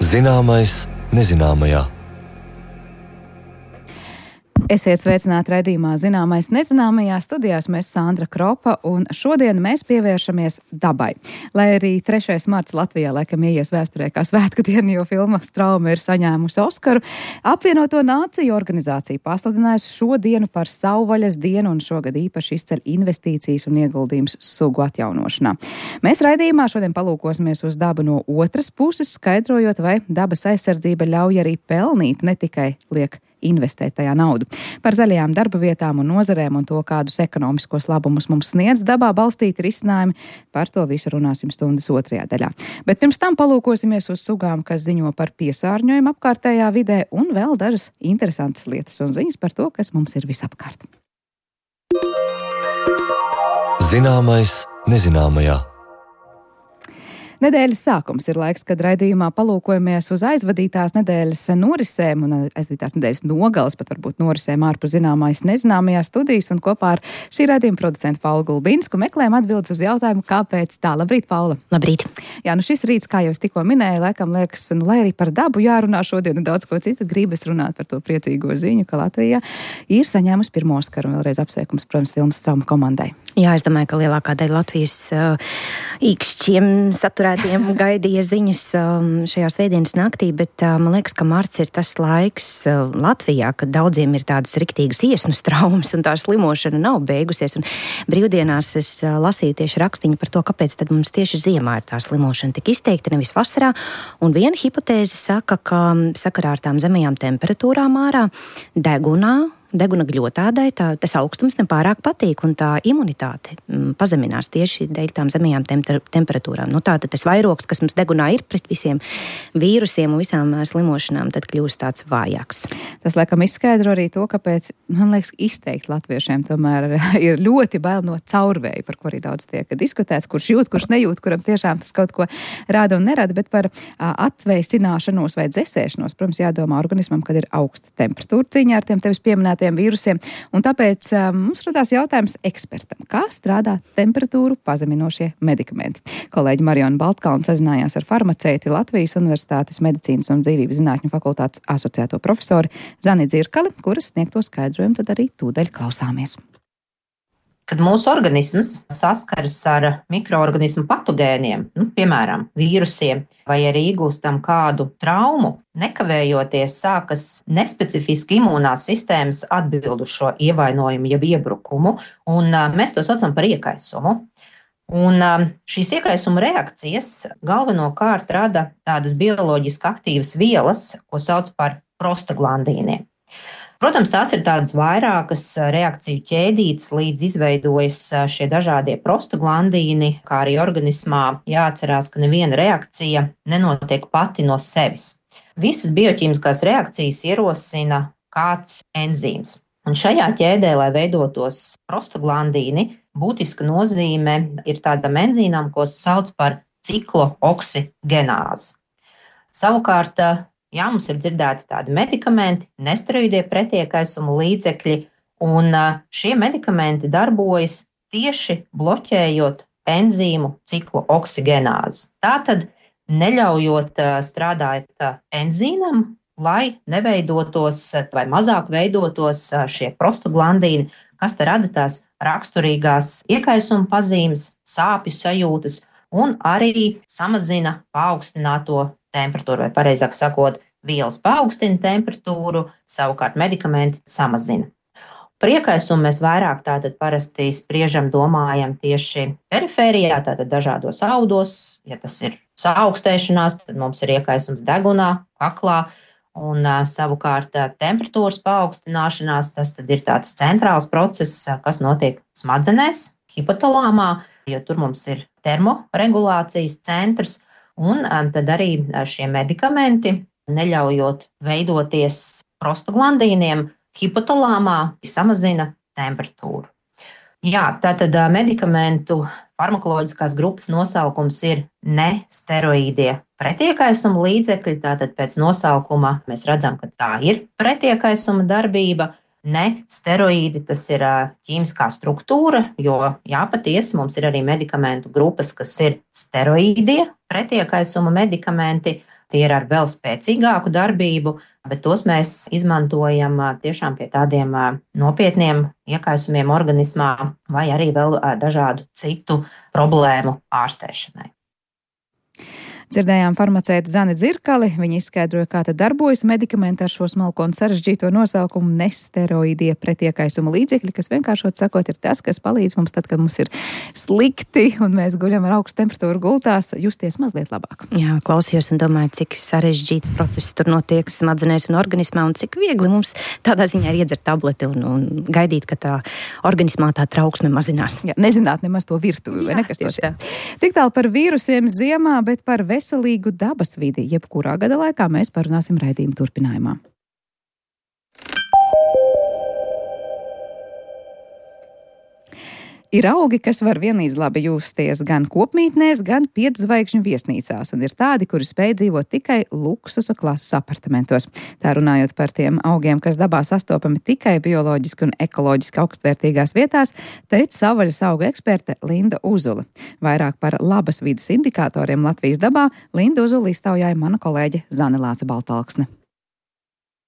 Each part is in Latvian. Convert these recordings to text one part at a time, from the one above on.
Zināmais nezināmajā. Esiet sveicināti raidījumā Zināmais nezināmajā. Studijās mēs Sandra Kropa, un šodien mēs pievēršamies dabai. Lai arī 3. marts Latvijā laikam ieies vēsturē kā svētku diena, jo filma Strauma ir saņēmusi Oskaru, Apvienoto Nāciju organizācija pasludinājusi šo dienu par savvaļas dienu, un šogad īpaši izceļ investīcijas un ieguldījums sugu atjaunošanā. Mēs raidījumā šodien palūkosimies uz dabu no otras puses, skaidrojot, vai dabas aizsardzība ļauj arī pelnīt, ne tikai liek investēt tajā naudu. Par zaļajām darba vietām un nozarēm un to, kādus ekonomiskos labumus mums sniedz dabā balstīti risinājumi, par to visu runāsim stundas otrajā daļā. Bet pirms tam palūkosimies uz sugām, kas ziņo par piesārņojumu apkārtējā vidē, un vēl dažas interesantas lietas un ziņas par to, kas mums ir visapkārt. Zināmais nezināmajā. Nedēļas sākums ir laiks, kad raidījumā palūkojamies uz aizvadītās nedēļas norisēm un aizvadītās nedēļas nogales, pat varbūt norisēm ārpus Zināmais nezināmajā studijas, un kopā ar šī raidījuma producentu Paulu Gulbinsku meklējam atbildes uz jautājumu, kāpēc tā. Labrīt, Paula! Labrīt! Jā, šis rīts, kā jau es tikko minēju, laikam liekas, lai arī par dabu jārunā šodien un daudz ko citu, gribas runāt par to priecīgo ziņu, ka Latvija ir saņēmusi pirmo Oskaru, un vēlreiz apsveikums, protams, filmas Strauma komandai. Jā, es domāju, ka lielākā daļa Latvijas īkšķiem saturētiem gaidīja ziņas šajā svētdienas naktī, bet man liekas, ka marts ir tas laiks Latvijā, kad daudziem ir tādas riktīgas iesnu traumas un tā slimošana nav beigusies. Un brīvdienās es lasīju tieši rakstiņu par to, kāpēc tad mums tieši ziemā ir tā slimošana tik izteikta, nevis vasarā. Un viena hipotēze saka, ka sakarā ar tām zemajām temperatūrām ārā deguna gļotādai tas augstums nepārāk patīk, un tā imunitāte pazeminās tieši dēļ tām zemajām temperatūrām. Tātad tas vairogs, kas mums degunā ir pret visiem vīrusiem un visām slimošanām, tad kļūst tāds vājāks. Tas laikam izskaidro arī to, kāpēc, man liekas, izteikti latviešiem tomēr ir ļoti bail no caurvēja, par ko arī daudz tiek diskutēts, kurš jūt, kurš nejūt, kuram tiešām tas kaut ko rāda un nerada, bet par atveicināšanos vai dzesēšanos, protams, jādomā organismam, kad ir augsta temperatūra cīņā ar tiem tevis pieminētiem vīrusiem, un tāpēc mums radās jautājums ekspertam, kā strādā temperatūru pazeminošie medikamenti. Kolēģi Mariona Baltkalna sazinājās ar farmaceiti Latvijas Universitātes medicīnas un dzīvības zinātņu fakultātes asociēto profesoru Zani Dzirkali, kuras sniegto skaidrojumu tad arī tūdaļ klausāmies. Kad mūsu organisms saskaras ar mikroorganismu patogēniem, piemēram, vīrusiem, vai arī iegūstam kādu traumu, nekavējoties sākas nespecifiski imūnās sistēmas atbild uz šo ievainojumu, jeb iebrukumu, un mēs to saucam par iekaisumu. Un šīs iekaisuma reakcijas galvenokārt rada tādas bioloģiski aktīvas vielas, ko sauc par prostaglandīniem. Protams, tās ir tādas vairākas reakciju ķēdītes, līdz izveidojas šie dažādie prostaglandīni, kā arī organismā jāatcerās, ka neviena reakcija nenotiek pati no sevis. Visas bioķīmiskās reakcijas ierosina kāds enzīms. Un šajā ķēdē, lai veidotos prostaglandīni, būtiska nozīme ir tādam enzīmam, ko sauc par ciklooksigenāzi. Savukārt, mums ir dzirdēti tādi medikamenti, nesteroīdie pretiekaisuma līdzekļi, un šie medikamenti darbojas tieši bloķējot enzīmu ciklooksigenāzi. Tātad neļaujot strādāt enzīmam, lai neveidotos vai mazāk veidotos šie prostaglandīni, kas te rada tās raksturīgās iekaisuma pazīmes, sāpju sajūtas un arī samazina paaugstināto temperatūru, vai pareizāk sakot, vielas paaugstina temperatūru, savukārt medikamenti samazina. Par iekaisumu mēs vairāk tātad parasti spriežam, domājam tieši perifērijā, tātad dažādos audos. Ja tas ir saaugstēšanās, tad mums ir iekaisums degunā, kaklā, un savukārt temperatūras paaugstināšanās, tas tad ir tāds centrāls process, kas notiek smadzenēs, hipotalāmā, jo tur mums ir termoregulācijas centrs, un tad arī šie medikamenti, neļaujot veidoties prostaglandīniem, hipotalāmā samazina temperatūru. Jā, tātad medikamentu farmakoloģiskās grupas nosaukums ir nesteroīdie pretiekaisuma līdzekļi. Tātad pēc nosaukuma mēs redzam, ka tā ir pretiekaisuma darbība. Nesteroīdi, tas ir ķīmiskā struktūra, jo patiesi mums ir arī medikamentu grupas, kas ir steroīdie pretiekaisuma medikamenti. Tie ir ar vēl spēcīgāku darbību, bet tos mēs izmantojam tiešām pie tādiem nopietniem iekaisumiem organismā vai arī vēl dažādu citu problēmu ārstēšanai. Dzirdējām farmaceitu Zani Dzirkali. Viņa izskaidroja, kā tad darbojas medikamenti ar šo smalko un sarežģīto nosaukumu nesteroīdie pretiekaisuma līdzekļi, kas vienkāršot sakot ir tas, kas palīdz mums tad, kad mums ir slikti un mēs guļam ar augstu temperatūru gultās, justies mazliet labāk. Jā, klausījos un domāju, cik sarežģīts process tur notiek smadzenēs un organismā un cik viegli mums tādā ziņā ir iedzert tableti un gaidīt, ka tā organismā tā trauksme mazinās. Jā, nezināt nemaz to virtuvi, vai nekas to tā. Tik tālu par vīrusiem ziemā, bet par veselīgu dabas vidi, jebkurā gada laikā mēs parunāsim raidījuma turpinājumā. Ir augi, kas var vienlīdz labi justies gan kopmītnēs, gan 5 zvaigžņu viesnīcās, un ir tādi, kuri spēj dzīvot tikai luksusa klases apartamentos. Tā runājot par tiem augiem, kas dabā sastopami tikai bioloģiski un ekoloģiski augstvērtīgās vietās, teica savvaļas auga eksperte Linda Uzule. Vairāk par labas vides indikatoriem Latvijas dabā Linda Uzule iztaujāja mana kolēģe Zane Lāce Baltalksne.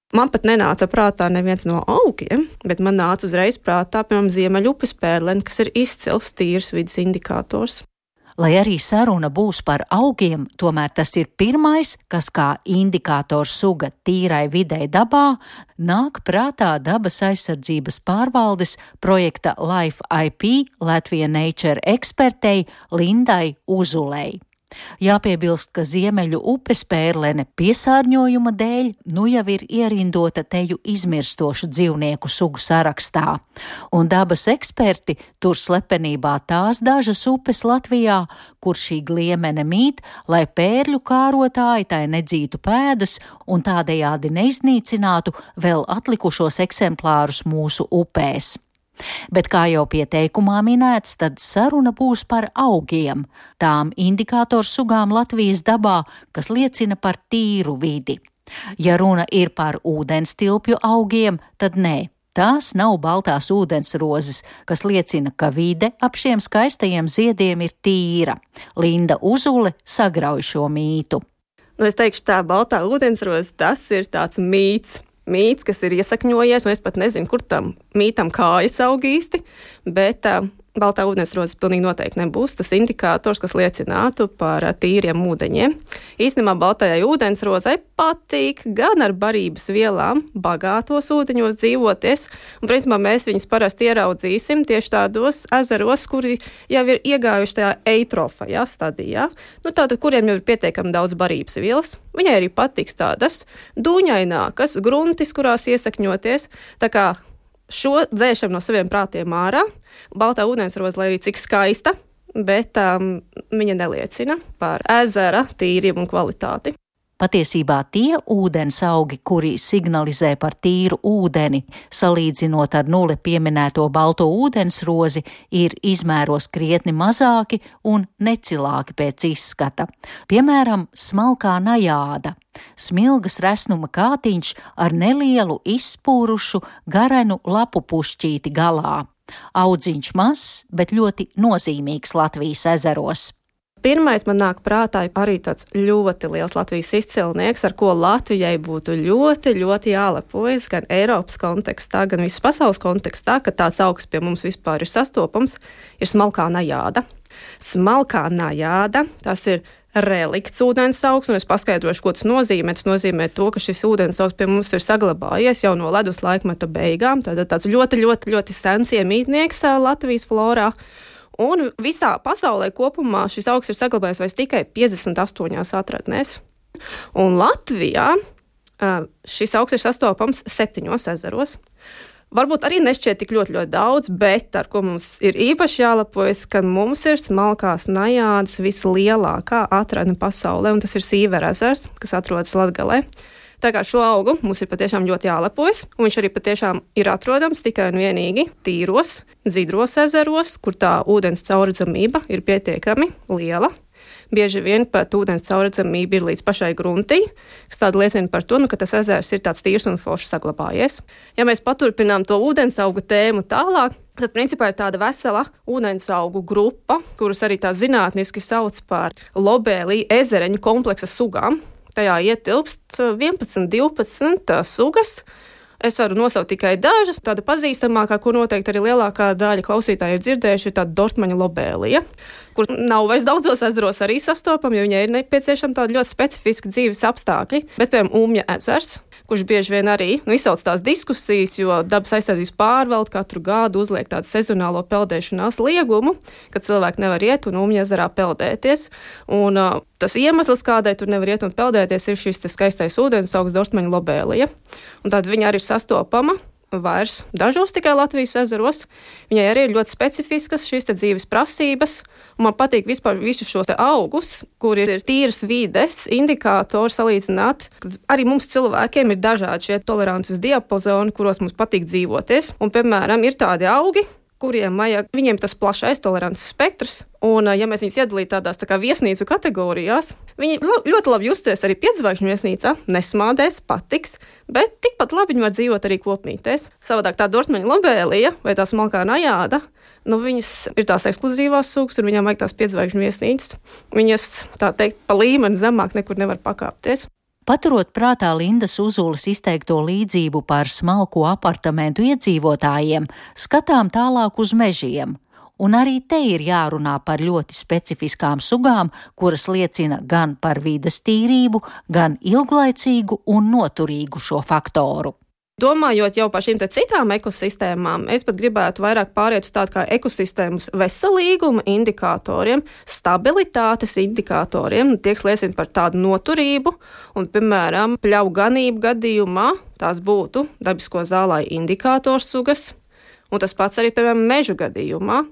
Man pat nenāca prātā neviens no augiem, bet man nāca uzreiz prātā, piemēram, Ziemeļupes pērlene, kas ir izcils tīrs vides indikators. Lai arī saruna būs par augiem, tomēr tas ir pirmais, kas kā indikators suga tīrai videi dabā, nāk prātā dabas aizsardzības pārvaldes projekta Life IP Latvia Nature ekspertei Lindai Uzulei. Jāpiebilst, ka Ziemeļu upes pērlene piesārņojuma dēļ nu jau ir ierindota teju izmirstošu dzīvnieku sugu sarakstā, un dabas eksperti tur slepenībā tās dažas upes Latvijā, kur šī gliemene mīt, lai pērļu kārotāji tai nedzītu pēdas un tādējādi neiznīcinātu vēl atlikušos eksemplārus mūsu upēs. Bet, kā jau pieteikumā minēts, tad saruna būs par augiem, tām indikātoru sugām Latvijas dabā, kas liecina par tīru vidi. Ja runa ir par ūdenstilpju augiem, tad nē, tās nav baltās ūdensrozes, kas liecina, ka vide ap šiem skaistajiem ziediem ir tīra. Linda Uzule sagrauj šo mītu. Es teikšu tā, baltā ūdensroze, tas ir tāds mīts. Mīts, kas ir iesakņojies, un es pat nezinu, kur tam mītam kājas aug īsti, bet baltā ūdensroze pilnīgi noteikti nebūs tas indikators, kas liecinātu par tīriem ūdeņiem. Īstenībā baltajai ūdensrozei patīk gan ar barības vielām bagātos ūdeņos dzīvoties, un principā mēs viņus parasti ieraudzīsim tieši tādos ezeros, kuri jau ir iegājuši tajā eitrofajā stadijā, tātad, kuriem jau ir pietiekami daudz barības vielas. Viņai arī patiks tādas dūņainākas gruntis, kurās iesakņoties, tā kā šo dzēšam no saviem prātiem ārā. Baltā ūdensroze, lai arī cik skaista, bet viņa neliecina par ezera tīrību un kvalitāti. Patiesībā tie ūdens augi, kuri signalizē par tīru ūdeni, salīdzinot ar nulle pieminēto balto ūdensrozi, ir izmēros krietni mazāki un necilāki pēc izskata. Piemēram, smalkā najāda. Smilgas resnuma kātiņš ar nelielu izspūrušu garenu lapu pušķīti galā. Audziņš mazs, bet ļoti nozīmīgs Latvijas ezeros. Pirmais man nāk prātā arī tāds ļoti liels Latvijas izcilnieks, ar ko Latvijai būtu ļoti, ļoti jālepojas gan Eiropas kontekstā, gan visas pasaules kontekstā, ka tāds augs pie mums vispār ir sastopams, ir smalkā najāda. Smalkā najāda, tas ir relikts ūdens augs, un es paskaidrošu, ko tas nozīmē. Tas nozīmē to, ka šis ūdens augs pie mums ir saglabājies jau no ledus laikmeta beigām, tātad tāds ļoti, ļoti, ļoti sens iemītnieks Latvijas florā. Un visā pasaulē kopumā šis augs ir saglabājies vairs tikai 58 atradnēs. Un Latvijā šis augs ir sastopams 7 ezeros. Varbūt arī nešķiet tik ļoti, ļoti daudz, bet ar ko mums ir īpaši jālepojas, ka mums ir smalkās najādas vislielākā atradne pasaulē, un tas ir Sīvera ezers, kas atrodas Latgalē. Tā kā šo augu mums ir patiešām ļoti jālepojas, un viņš arī patiešām ir atrodams tikai un vienīgi tīros, dzidros ezeros, kur tā ūdens caurredzamība ir pietiekami liela. Bieži vien pat ūdens caurredzamība ir līdz pašai gruntī, kas tāda liecina par to, ka tas ezers ir tāds tīrs un foršs saglabājies. Ja mēs paturpinām to ūdensaugu tēmu tālāk, tad principā ir tāda vesela ūdensaugu grupa, kurus arī tā zinātniski sauc par lobēlī ezereņu kompleksa sugām. Tajā ietilpst 11, 12 sugas. Es varu nosaukt tikai dažas. Tāda pazīstamākā, ko noteikti arī lielākā daļa klausītāji ir dzirdējuši, ir tāda dortmaņa lobēlija, kur nav vairs daudzos ezeros arī sastopama, jo viņai ir nepieciešama tāda ļoti specifiska dzīves apstākļi. Bet, piemēram, Umja ezers, kurš bieži vien arī izsauc tās diskusijas, jo dabas aizsardzības pārvalde katru gadu uzliek tādu sezonālo peldēšanās liegumu, ka cilvēki nevar iet un Umja ezerā peldēties. Un tas iemesls, kādēļ tur nevar iet un peldēties, ir šis skaistais ūdensaugs dortmaņa lobēlija. Un tad viņa arī ir sastopama vairs dažos tikai Latvijas ezeros. Viņai arī ir ļoti specifiskas šīs dzīves prasības, un man patīk vispār visus šos augus, kuri ir tīras vides indikātori salīdzināt. Tad arī mums cilvēkiem ir dažādi šie tolerances diapazoni, kuros mums patīk dzīvoties. Un, piemēram, ir tādi augi, viņiem tas plašais tolerances spektrs, un ja mēs viņus iedalītu tādās tā kā viesnīcu kategorijās, viņi ļoti labi justies arī 5-zvaigžņu viesnīcā, nesmādēs, patiks, bet tikpat labi viņi var dzīvot arī kopmītēs. Savādāk tā dortmaņa lobēlija vai tā smalkā najāda, viņas ir tās ekskluzīvās sugas, un viņām vajag tās 5-zvaigžņu viesnīcas. Viņas, tā teikt, pa līmeni zemāk nekur nevar pakāpties. Paturot prātā Lindas Uzules izteikto līdzību par smalko apartamentu iedzīvotājiem, skatām tālāk uz mežiem. Un arī te ir jārunā par ļoti specifiskām sugām, kuras liecina gan par vides tīrību, gan ilglaicīgu un noturīgu šo faktoru. Domājot jau par šīm citām ekosistēmām, es pat gribētu vairāk pāriet uz tādu kā ekosistēmas veselīguma indikatoriem, stabilitātes indikatoriem, tie, kas liecina par tādu noturību, un, piemēram, pļauju ganību gadījumā tās būtu dabisko zālāju indikātoru sugas, un tas pats arī, piemēram, mežu gadījumā,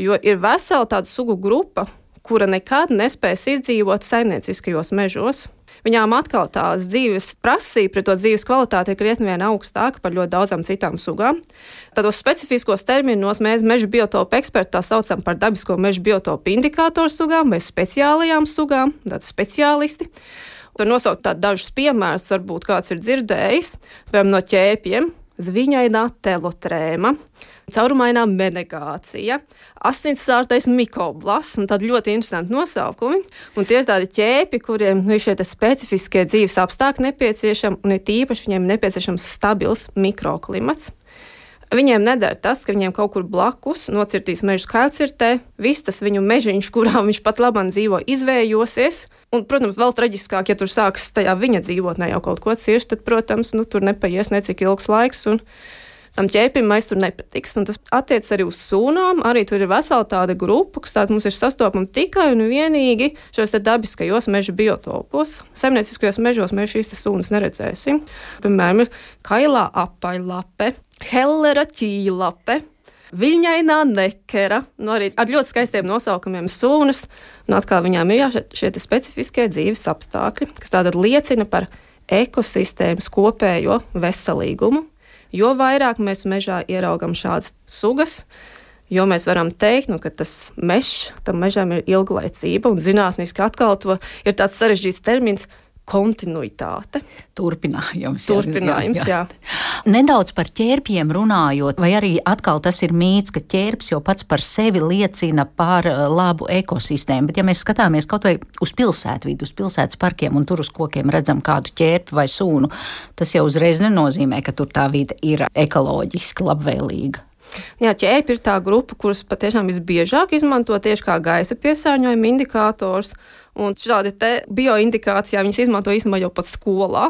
jo ir vesela tāda sugu grupa, kura nekad nespēs izdzīvot saimnieciskajos mežos. Viņām atkal tās dzīves prasība pret to dzīves kvalitāti ir krietni vien augstāka par ļoti daudzām citām sugām. Tādos specifiskos terminos mēs meža biotopu eksperti tā saucam par dabisko meža biotopu indikātoru sugām vai speciālajām sugām, tādi speciālisti. Tur nosaukt tādu dažus piemērus, varbūt kāds ir dzirdējis, piemēram, no ķērpiem, zviņainā telotrēma, caurumainā menegācija, asinsārtais mikoblasts, un tādi ļoti interesanti nosaukumi. Un tie ir tādi ķēpi, kuriem ir šie specifiskie dzīves apstākļi nepieciešami, un ir tīpaši viņiem nepieciešams stabils mikroklimats. Viņiem nedara tas, ka viņiem kaut kur blakus nocirtīs mežu kailcirtē, viss tas viņu mežiņš, kurā viņš pat labāk dzīvo, izvējosies. Un, protams, vēl traģiskāk, ja tur sāks tajā viņa dzīvotnē jau kaut ko cirst, tad, protams, tur nepaies necik ilgs laiks, un tam ķēpim mēs tur nepatiks. Un tas attiec arī uz sūnām, arī tur ir vesela tāda grupa, kas tāda mums ir sastopama tikai un vienīgi šos dabiskajos meža biotopos. Saimnieciskajos mežos mēs šīs sūnas neredzēsim. Piemēram, ir kailā apaļlape, hellera ķīlape, viļņainā nekera, arī ar ļoti skaistiem nosaukumiem sūnas, un atkal viņām ir šie specifiskie dzīves apstākļi, kas tātad liecina par ekosistēmas kopējo veselīgumu. Jo vairāk mēs mežā ieraugam šādas sugas, jo mēs varam teikt, ka tas mežs, tam mežam ir ilglaicība, un zinātniski atkal to ir tāds sarežģīts termins kontinuitāte. Turpinājums, jā. Nedaudz par ķērpiem runājot, vai arī atkal tas ir mīts, ka ķērps jau pats par sevi liecina par labu ekosistēmu, bet ja mēs skatāmies kaut vai uz pilsētvidu, uz pilsētas parkiem un tur uz kokiem redzam kādu ķērpi vai sūnu, tas jau uzreiz nenozīmē, ka tur tā vide ir ekoloģiski labvēlīga. Jā, ķērpi ir tā grupa, kuras patiešām visbiežāk izmanto tieši kā gaisa piesārņojuma indikators, un šādi bioindikācijā viņas izmanto īstenībā jau pat skolā,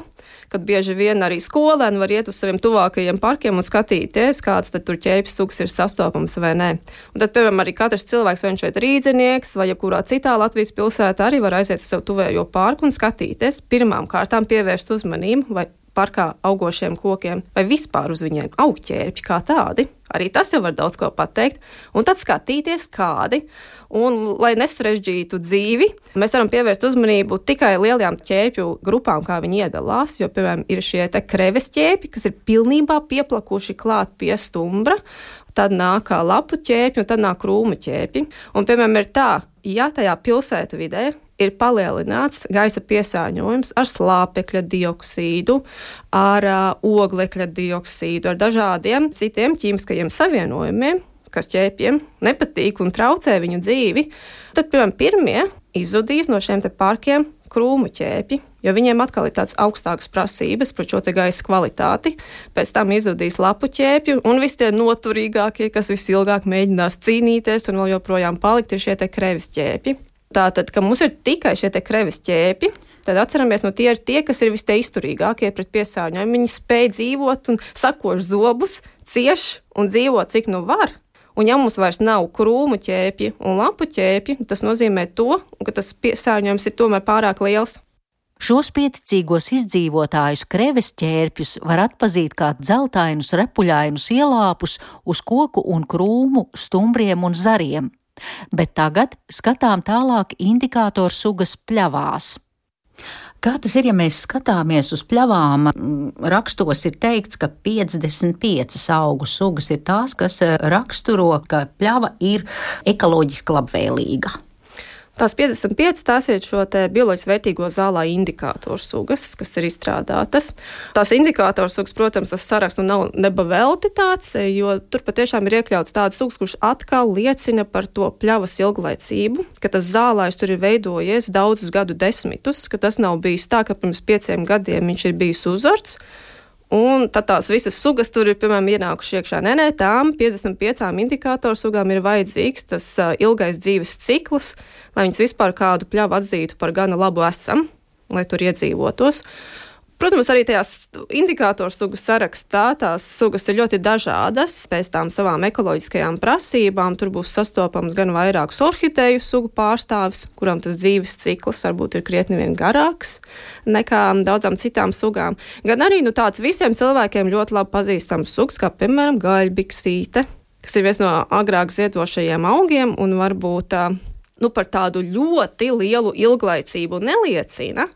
kad bieži vien arī skolēni var iet uz saviem tuvākajiem parkiem un skatīties, kāds tad tur ķērpju sugas ir sastopams vai nē. Un tad, piemēram, arī katrs cilvēks, vai viņš šeit rīdzinieks vai jebkurā citā Latvijas pilsētā, arī var aiziet uz savu tuvējo parku un skatīties, pirmām kārtām pievērst uzmanību, vai parkā augošiem kokiem, vai vispār uz viņiem aug ķērpji kā tādi. Arī tas jau var daudz ko pateikt. Un tad skatīties kādi. Un, lai nesarežģītu dzīvi, mēs varam pievērst uzmanību tikai lielajām ķērpju grupām, kā viņi iedalās. Jo, piemēram, ir šie te kreves ķērpji, kas ir pilnībā pieplakuši klāt pie stumbra. Tad nāk lapu ķērpji un tad nāk krūmu ķērpji. Un, piemēram, ir tā, ja tajā pilsētu vidē ir palielināts gaisa piesārņojums ar slāpekļa dioksīdu, ar oglekļa dioksīdu, ar dažādiem citiem ķīmiskajiem savienojumiem, kas ķērpjiem nepatīk un traucē viņu dzīvi, tad, piemēram, pirmie izzudīs no šiem te parkiem krūmu ķērpji, jo viņiem atkal ir tāds augstākas prasības par šo te gaisa kvalitāti. Pēc tam izzudīs lapu ķērpju, un visi tie noturīgākie, kas visilgāk mēģinās cīnīties un vēl joprojām palikt, ir šie te kreves ķērpji. Tātad, ka mums ir tikai šie te kreves ķērpji, tad atceramies, no tie ir tie, kas ir izturīgākie pret piesārņojumu. Viņi spēj dzīvot un sakož zobus, cieš un dzīvo, cik nu var. Un ja mums vairs nav krūmu ķērpji un lapu ķērpji, tas nozīmē to, ka tas piesārņojums ir tomēr pārāk liels. Šos pieticīgos izdzīvotājus kreves ķērpjus var atpazīt kā dzeltainus, repuļainus ielāpus uz koku un krūmu, stumbriem un zariem. Bet tagad skatām tālāk indikātoru sugas pļavās. Kā tas ir, ja mēs skatāmies uz pļavām? Rakstos ir teikts, ka 55 augu sugas ir tās, kas raksturo, ka pļava ir ekoloģiski labvēlīga. Tās 55 tās ir šo te bioloģiski vērtīgo zālā indikātoru sugas, kas ir izstrādātas. Tās indikātoru sugas, protams, tas saraksts nav nebavelti tāds, jo tur patiešām ir iekļauts tāds sugas, kurš atkal liecina par to pļavas ilglaicību, ka tas zālājs tur ir veidojies daudzus gadu desmitus, ka tas nav bijis tā, ka pirms 5 gadiem viņš ir bijis uzarts. Un tad tās visas sugas tur ir, piemēram, ienākuši iekšā. Nē, tām 55 indikātoru sugām ir vajadzīgs tas ilgais dzīves cikls, lai viņas vispār kādu pļavu atzītu par gana labu esam, lai tur iedzīvotos. Protams, arī tajās indikātoru sugu sarakstā tās sugas ir ļoti dažādas pēc tām savām ekoloģiskajām prasībām. Tur būs sastopams gan vairākus orhideju sugu pārstāvis, kurām tas dzīves cikls varbūt ir krietni vien garāks nekā daudzām citām sugām. Gan arī tāds visiem cilvēkiem ļoti labi pazīstams sugas, kā piemēram gaļbiksīte, kas ir viens no agrāk ziedošajiem augiem un varbūt par tādu ļoti lielu ilglaicību neliecina.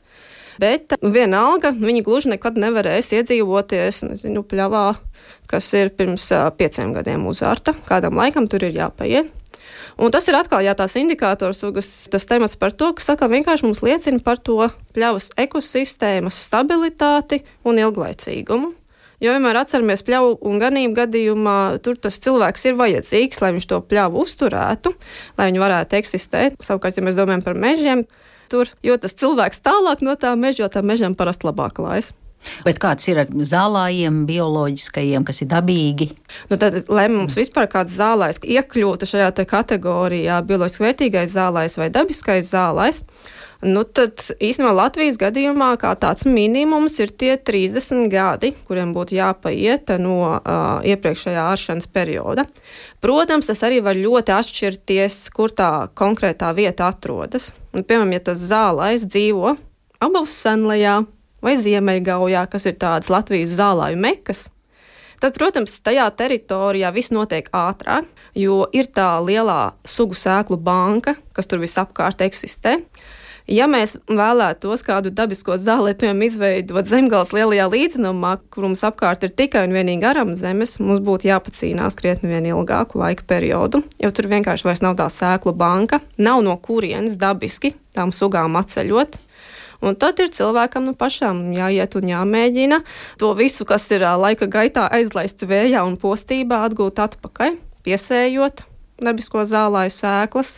Bet vienalga viņi gluži nekad nevarēs iedzīvoties, pļavā, kas ir pirms 5 gadiem uzārta. Kādam laikam tur ir jāpaiet. Un tas ir atkal, tās indikātoru sugas, tas temats par to, kas atkal vienkārši mums liecina par to pļavas ekosistēmas stabilitāti un ilglaicīgumu. Jo vienmēr atceramies pļavu un ganību gadījumā, tur tas cilvēks ir vajadzīgs, lai viņš to pļavu uzturētu, lai viņi varētu eksistēt. Savukārt, ja mēs domājam par mežiem, jo tas cilvēks tālāk no tā meža, jo tā mežam parasti labāk klājas. Bet kāds ir ar zālājiem, bioloģiskajiem, kas ir dabīgi? Tad, lai mums vispār kāds zālājs iekļūtu šajā te kategorijā bioloģiski vērtīgais zālājs vai dabiskais zālājs, tad īstenībā Latvijas gadījumā kā tāds minimums ir tie 30 gadi, kuriem būtu jāpaiet no iepriekšējā āršanas perioda. Protams, tas arī var ļoti atšķirties, kur tā konkrētā vieta atrodas. Un, piemēram, ja tas zālājs dzīvo Abavas senlejā vai Ziemeļgaujā, kas ir tādas Latvijas zālāju mekas, tad, protams, tajā teritorijā viss notiek ātrāk, jo ir tā lielā sugu sēklu banka, kas tur visapkārt eksistē. Ja mēs vēlētos kādu dabisko zāli, piemēram, izveidot Zemgales lielajā līdzenumā, kur mums apkārt ir tikai un vienīgi aram zemes, mums būtu jāpacīnās krietni vien ilgāku laika periodu, jo tur vienkārši vairs nav tā sēklu banka, nav no kurienes dabiski tām sugām atceļot. Un tad ir cilvēkam pašām jāiet un jāmēģina to visu, kas ir laika gaitā aizlaists vējā un postībā, atgūt atpakaļ, piesējot dabisko zālāju sēklas,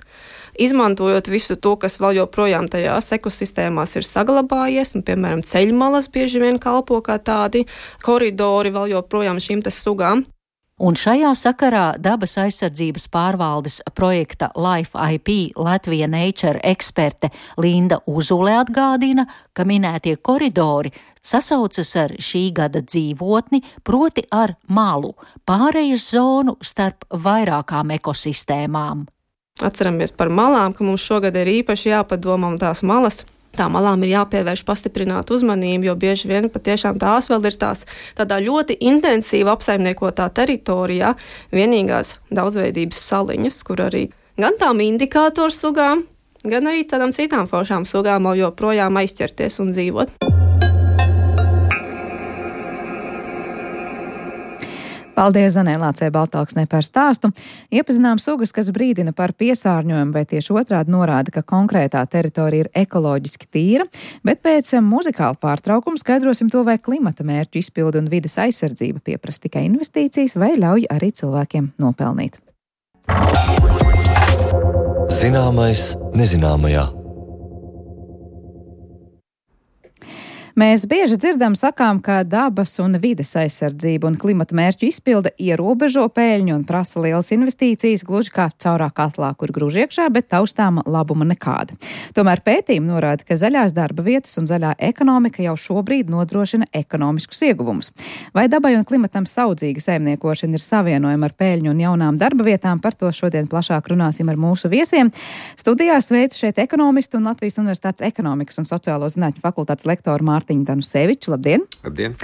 izmantojot visu to, kas vēl joprojām tajās ekosistēmās ir saglabājies, un, piemēram, ceļmalas bieži vien kalpo kā tādi koridori vēl joprojām šīm te sugām. Un šajā sakarā Dabas aizsardzības pārvaldes projekta Life IP Latvija Nature eksperte Linda Uzule atgādina, ka minētie koridori sasaucas ar šī gada dzīvotni, proti ar malu, pārejas zonu starp vairākām ekosistēmām. Atceramies par malām, ka mums šogad ir īpaši jāpadomā, un tās malas Tām malām ir jāpievērš pastiprināt uzmanību, jo bieži vien patiešām tās vēl ir tādā ļoti intensīva apsaimniekotā teritorijā, vienīgās daudzveidības saliņas, kur arī gan tām indikātoru sugām, gan arī tādām citām foršām sugām vēl joprojām aizķerties un dzīvot. Paldies Zanē Lācei Baltāksnē par stāstu. Iepazinām sugas, kas brīdina par piesārņojumu, vai tieši otrādi norāda, ka konkrētā teritorija ir ekoloģiski tīra, bet pēc muzikāla pārtraukuma skaidrosim to, vai klimata mērķu izpildi un vides aizsardzība pieprasa tikai investīcijas vai ļauj arī cilvēkiem nopelnīt. Zināmais nezināmajā. Mēs bieži dzirdam sakām, ka dabas un vides aizsardzība un klimata mērķu izpilde ierobežo peļņu un prasa lielas investīcijas, gluži kā caurā katlā, kur grūž iekšā, bet taustāma labuma nekāda. Tomēr pētījumi norāda, ka zaļās darba vietas un zaļā ekonomika jau šobrīd nodrošina ekonomiskus ieguvumus. Vai dabai un klimatam saudzīga saimniekošana ir savienojama ar peļņu un jaunām darba vietām, par to šodien plašāk runāsim ar mūsu viesiem. Studijā sveicu šeit ekonomistu un Latvijas Universitātes ekonomikas un sociālo zinātņu fakultātes lektoru Mārtiņu Danuseviču. Labdien! Labdien!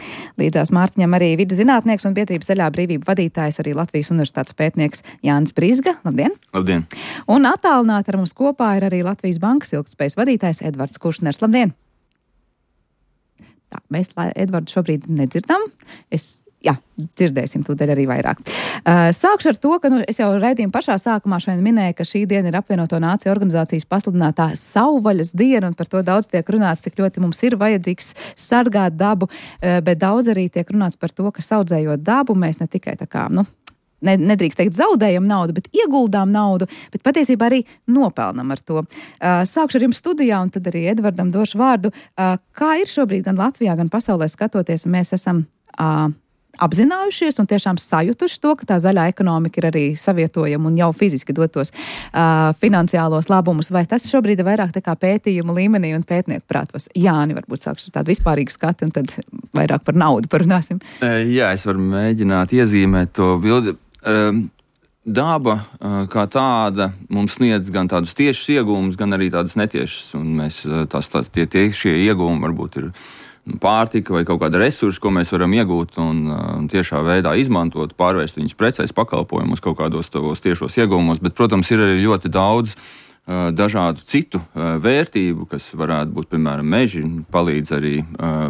Līdzās Mārtiņam arī vides zinātnieks un biedrības Zaļā brīvība vadītājs, arī Latvijas Universitātes pētnieks Jānis Brizga. Labdien! Labdien! Un attālināti ar mums kopā ir arī Latvijas Bankas ilgtspējas vadītājs Edvards Kuršners. Labdien! Tā, mēs Edvardu šobrīd nedzirdam. Dzirdēsim tūdaļ arī vairāk. Sākšu ar to, ka es jau raidījumu pašā sākumā šodien minēju, ka šī diena ir apvienoto nāciju organizācijas pasludinātā savvaļas diena, un par to daudz tiek runāts, cik ļoti mums ir vajadzīgs sargāt dabu, bet daudz arī tiek runāts par to, ka saudzējot dabu, mēs ne tikai nedrīkst teikt zaudējam naudu, bet ieguldām naudu, bet patiesībā arī nopelnam ar to. Sākšu ar jums studijā, un tad arī Edvardam došu vārdu. Kā ir šobrīd gan Latvijā, gan pasaulē skatoties, un mēs esam apzinājušies un tiešām sajutuši to, ka tā zaļā ekonomika ir arī savietojama un jau fiziski dotos finansiālos labumus, vai tas šobrīd ir vairāk tā kā pētījumu līmenī un pētnieku prātos? Jāni, varbūt sākšu ar tādu vispārīgu skatu un tad vairāk par naudu parunāsim. Jā, es varu mēģināt iezīmēt to bildi. Daba kā tāda mums sniedz gan tādus tiešus ieguvumus, gan arī tādus netiešus, un mēs šie ieguvumi varbūt ir pārtika vai kaut kāda resursa, ko mēs varam iegūt un tiešā veidā izmantot, pārvērst viņus precēs, pakalpojumus, kaut kādos tavos tiešos ieguvumos, bet, protams, ir arī ļoti daudz dažādu citu vērtību, kas varētu būt, piemēram, meži, palīdz arī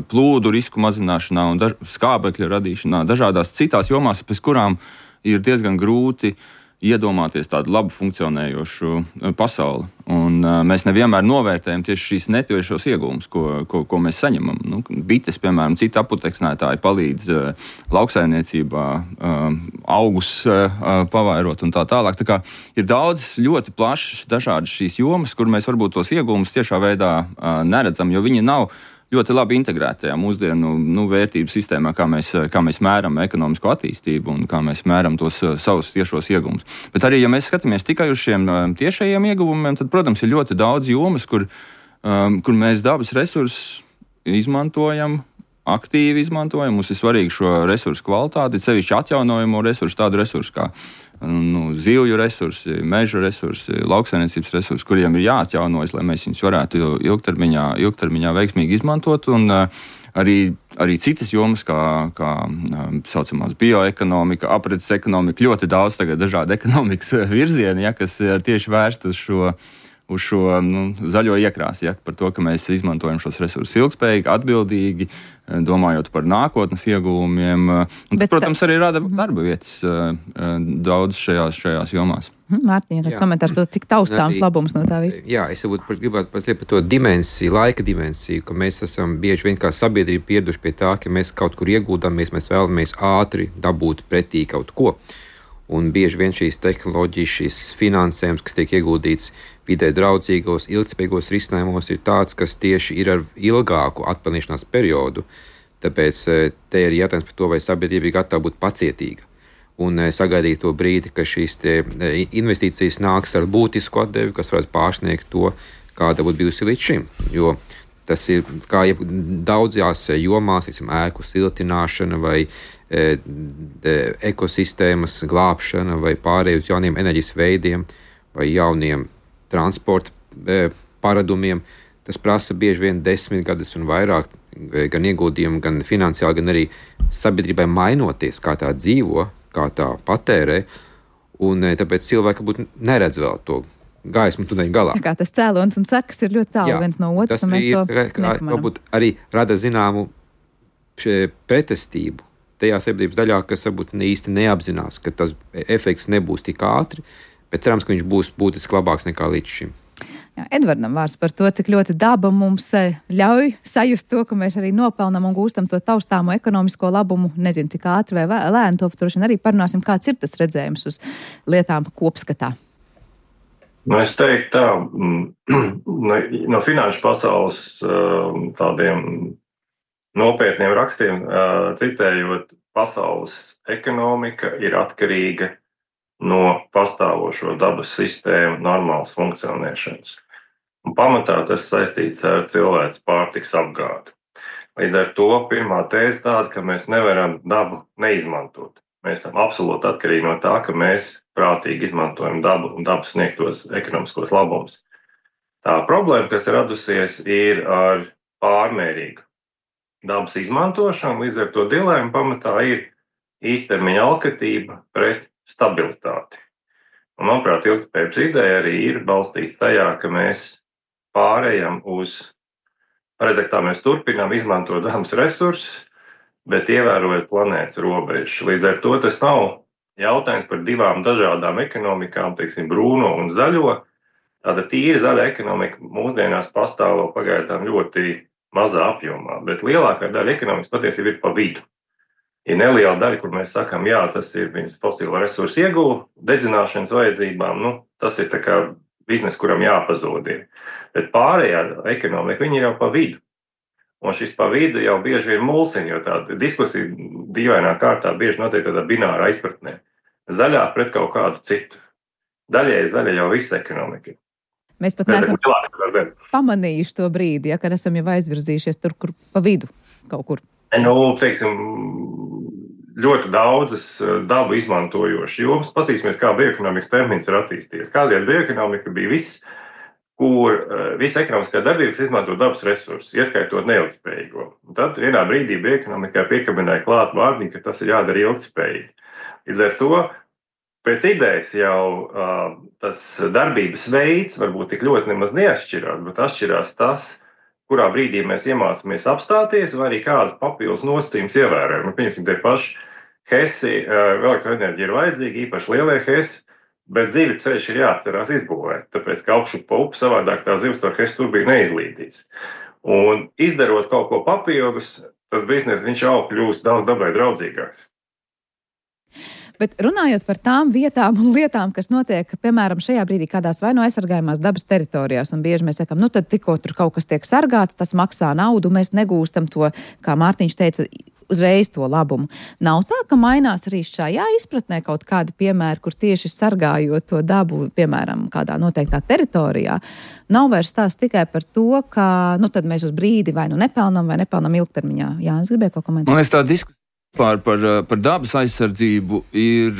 plūdu risku mazināšanā un skābekļa radīšanā, dažādās citās jomās, pēc kurām ir diezgan grūti iedomāties tādu labu funkcionējošu pasauli. Un mēs nevienmēr novērtējam tieši šīs netiešos ieguvumus, ko mēs saņemam. Bites, piemēram, citi aputeksnētāji palīdz lauksaimniecībā augus pavairot un tā tālāk. Tā kā ir daudz ļoti plašas dažādas šīs jomas, kur mēs varbūt tos ieguvumus tiešā veidā neredzam, jo viņi nav ļoti labi integrētajā mūsdienu vērtību sistēmā, kā mēs mēram ekonomisko attīstību un kā mēs mēram tos savus tiešos ieguvumus. Bet arī, ja mēs skatāmies tikai uz šiem tiešajiem ieguvumiem, tad, protams, ir ļoti daudz jomas, kur mēs dabas resursus izmantojam, aktīvi izmantojam. Mums ir svarīgi šo resursu kvalitāti, sevišķi atjaunojamo resursu, tādu resursu kā zivju resursi, meža resursi, lauksaimniecības resursi, kuriem ir jāatjaunojas, lai mēs viņus varētu ilgtermiņā veiksmīgi izmantot. Un arī citas jomas, kā saucamās bioekonomika, aprits ekonomika, ļoti daudz tagad dažādu ekonomikas virzieni, kas ir tieši vērst uz šo zaļo iekrāsi, par to, ka mēs izmantojam šos resursus ilgspējīgi, atbildīgi, domājot par nākotnes ieguvumiem. Un, protams, arī rada darba vietas daudz šajās jomās. Mārtiņ, kāds komentārs par to, cik taustāms labums no tā visa? Jā, es gribētu pateikt par to dimensiju, laika dimensiju, ka mēs esam bieži vien kā sabiedrība pieraduši pie tā, ka mēs kaut kur iegūdamies, mēs vēlamies ātri dabūt pretī kaut ko. Un bieži vien šīs tehnoloģijas, šīs finansējums, kas tiek ieguldīts vidē draudzīgos, ilgspējīgos risinājumos, ir tāds, kas tieši ir ar ilgāku atpelnīšanās periodu. Tāpēc te ir jautājums par to, vai sabiedrība ir gatava būt pacietīga un sagaidīt to brīdi, ka šīs investīcijas nāks ar būtisku atdevi, kas varētu pārsniegt to, kāda būtu bijusi līdz šim. Jo tas ir kā daudzās jomās, ēku siltināšana vai ekosistēmas glābšana vai pārēj uz jauniem enerģijas veidiem vai jauniem transporta paradumiem. tas prasa bieži vien 10 gadus un vairāk, gan ieguldījumu, gan finansiāli, gan arī sabiedrībai mainoties, kā tā dzīvo, kā tā patērē, un tāpēc cilvēki būtu neredz vēl to gaismu tuneļa galā. Tā kā tas cēlonis un sekas ir ļoti tālu viens no otras, un mēs to nepamanām. Varbūt arī rada zināmu pretestību tajā sabiedrības daļā, kas varbūt īsti neapzinās, ka tas efekts nebūs tik ātri, bet cerams, ka viņš būs būtiski labāks nekā līdz šim. Jā, Edvardam vārds par to, cik ļoti daba mums ļauj sajust to, ka mēs arī nopelnam un gūstam to taustāmo ekonomisko labumu. Nezinu, cik ātri vai lēni, to droši vien arī parunāsim, kāds ir tas redzējums uz lietām kopskatā. Es teiktu tā, no finanšu pasaules tādiem nopietniem rakstiem citējot, pasaules ekonomika ir atkarīga no pastāvošo dabas sistēmu normālas funkcionēšanas. Un pamatā tas saistīts ar cilvēces pārtikas apgādi. Līdz ar to pirmā tēze tāda, ka mēs nevaram dabu neizmantot. Mēs esam absolūti atkarīgi no tā, ka mēs prātīgi izmantojam dabu un dabas sniegtos ekonomiskos labumus. Tā problēma, kas ir radusies, ir ar pārmērīgu dabas izmantošanu, līdz ar to dilēma pamatā ir īstermiņa alkatība pret stabilitāti. Un, manuprāt, ilgtspējības ideja arī ir balstīta tajā, ka mēs pārējam uz, pareizāk tā mēs turpinām izmantot dabas resursus, bet ievērojot planētas robežas. Līdz ar to tas nav jautājums par divām dažādām ekonomikām, teiksim, brūno un zaļo. Tāda tīra zaļa ekonomika mūsdienās pastāv vēl pagaidām ļoti mazā apjomā, bet lielākā daļa ekonomikas patiesībā ir pa vidu. Ir neliela daļa, kur mēs sakām, jā, tas ir viņas fosilo resursu ieguva, dedzināšanas vajadzībām, tas ir tā kā bizness, kuram jāpazūd ir. Bet pārējā ekonomika, viņi ir jau pa vidu. Un šis pa vidu jau bieži ir mulsiņa, jo tāda diskusija dīvainā kārtā bieži notiek tādā bināra aizpratnē. Zaļā pret kaut kādu citu. Daļēji zaļa jau visa ekonomika. Mēs pat neesam pamanījuši to brīdi, kad esam jau aizvirzījušies tur, kur pa vidu kaut kur. Teiksim, ļoti daudzas dabu izmantojošas jomas. Paskatīsimies, kā bioekonomikas termins ir attīstījies. Kādreiz bioekonomika bija viss, kur visa ekonomiskā darbība, kas izmanto dabas resursus, ieskaitot neilgtspējīgo. Un tad vienā brīdī bioekonomikā piekabināja klāt vārdiņu, ka tas ir jādara ilgtspējīgi. Līdz ar to pēc idejas jau tas darbības veids varbūt tik ļoti nemaz neatšķirās, bet atšķirās tas, kurā brīdī mēs iemācāmies apstāties, vai arī kādas papildus nosacījumus ievērojam. Pieņemsim, tie paši hesi, elektroenerģija ir vajadzīga, īpaši lielie hesi, bet zivju ceļš ir jāatcerās izbūvēt, tāpēc, ka augšu pa upi savādāk tā zivs ar hesu turbīnu neizlīdīs. Un izdarot kaut ko papildus, tas bizness viņš jau kļūst daudz dabai draudzīgāks. Bet runājot par tām vietām un lietām, kas notiek, piemēram, šajā brīdī kādās vai no aizsargājumās dabas teritorijās, un bieži mēs sakām, tad tikko tur kaut kas tiek sargāts, tas maksā naudu, mēs negūstam to, kā Mārtiņš teica, uzreiz to labumu. Nav tā, ka mainās arī šajā izpratnē kaut kādi piemēri, kur tieši sargājot to dabu, piemēram, kādā noteiktā teritorijā, nav vairs tās tikai par to, ka, tad mēs uz brīdi vai nepelnam vai nepelnam ilgtermiņā. Jānis gribēja kaut komentēt. Man liekas, tā diskusija par dabas aizsardzību ir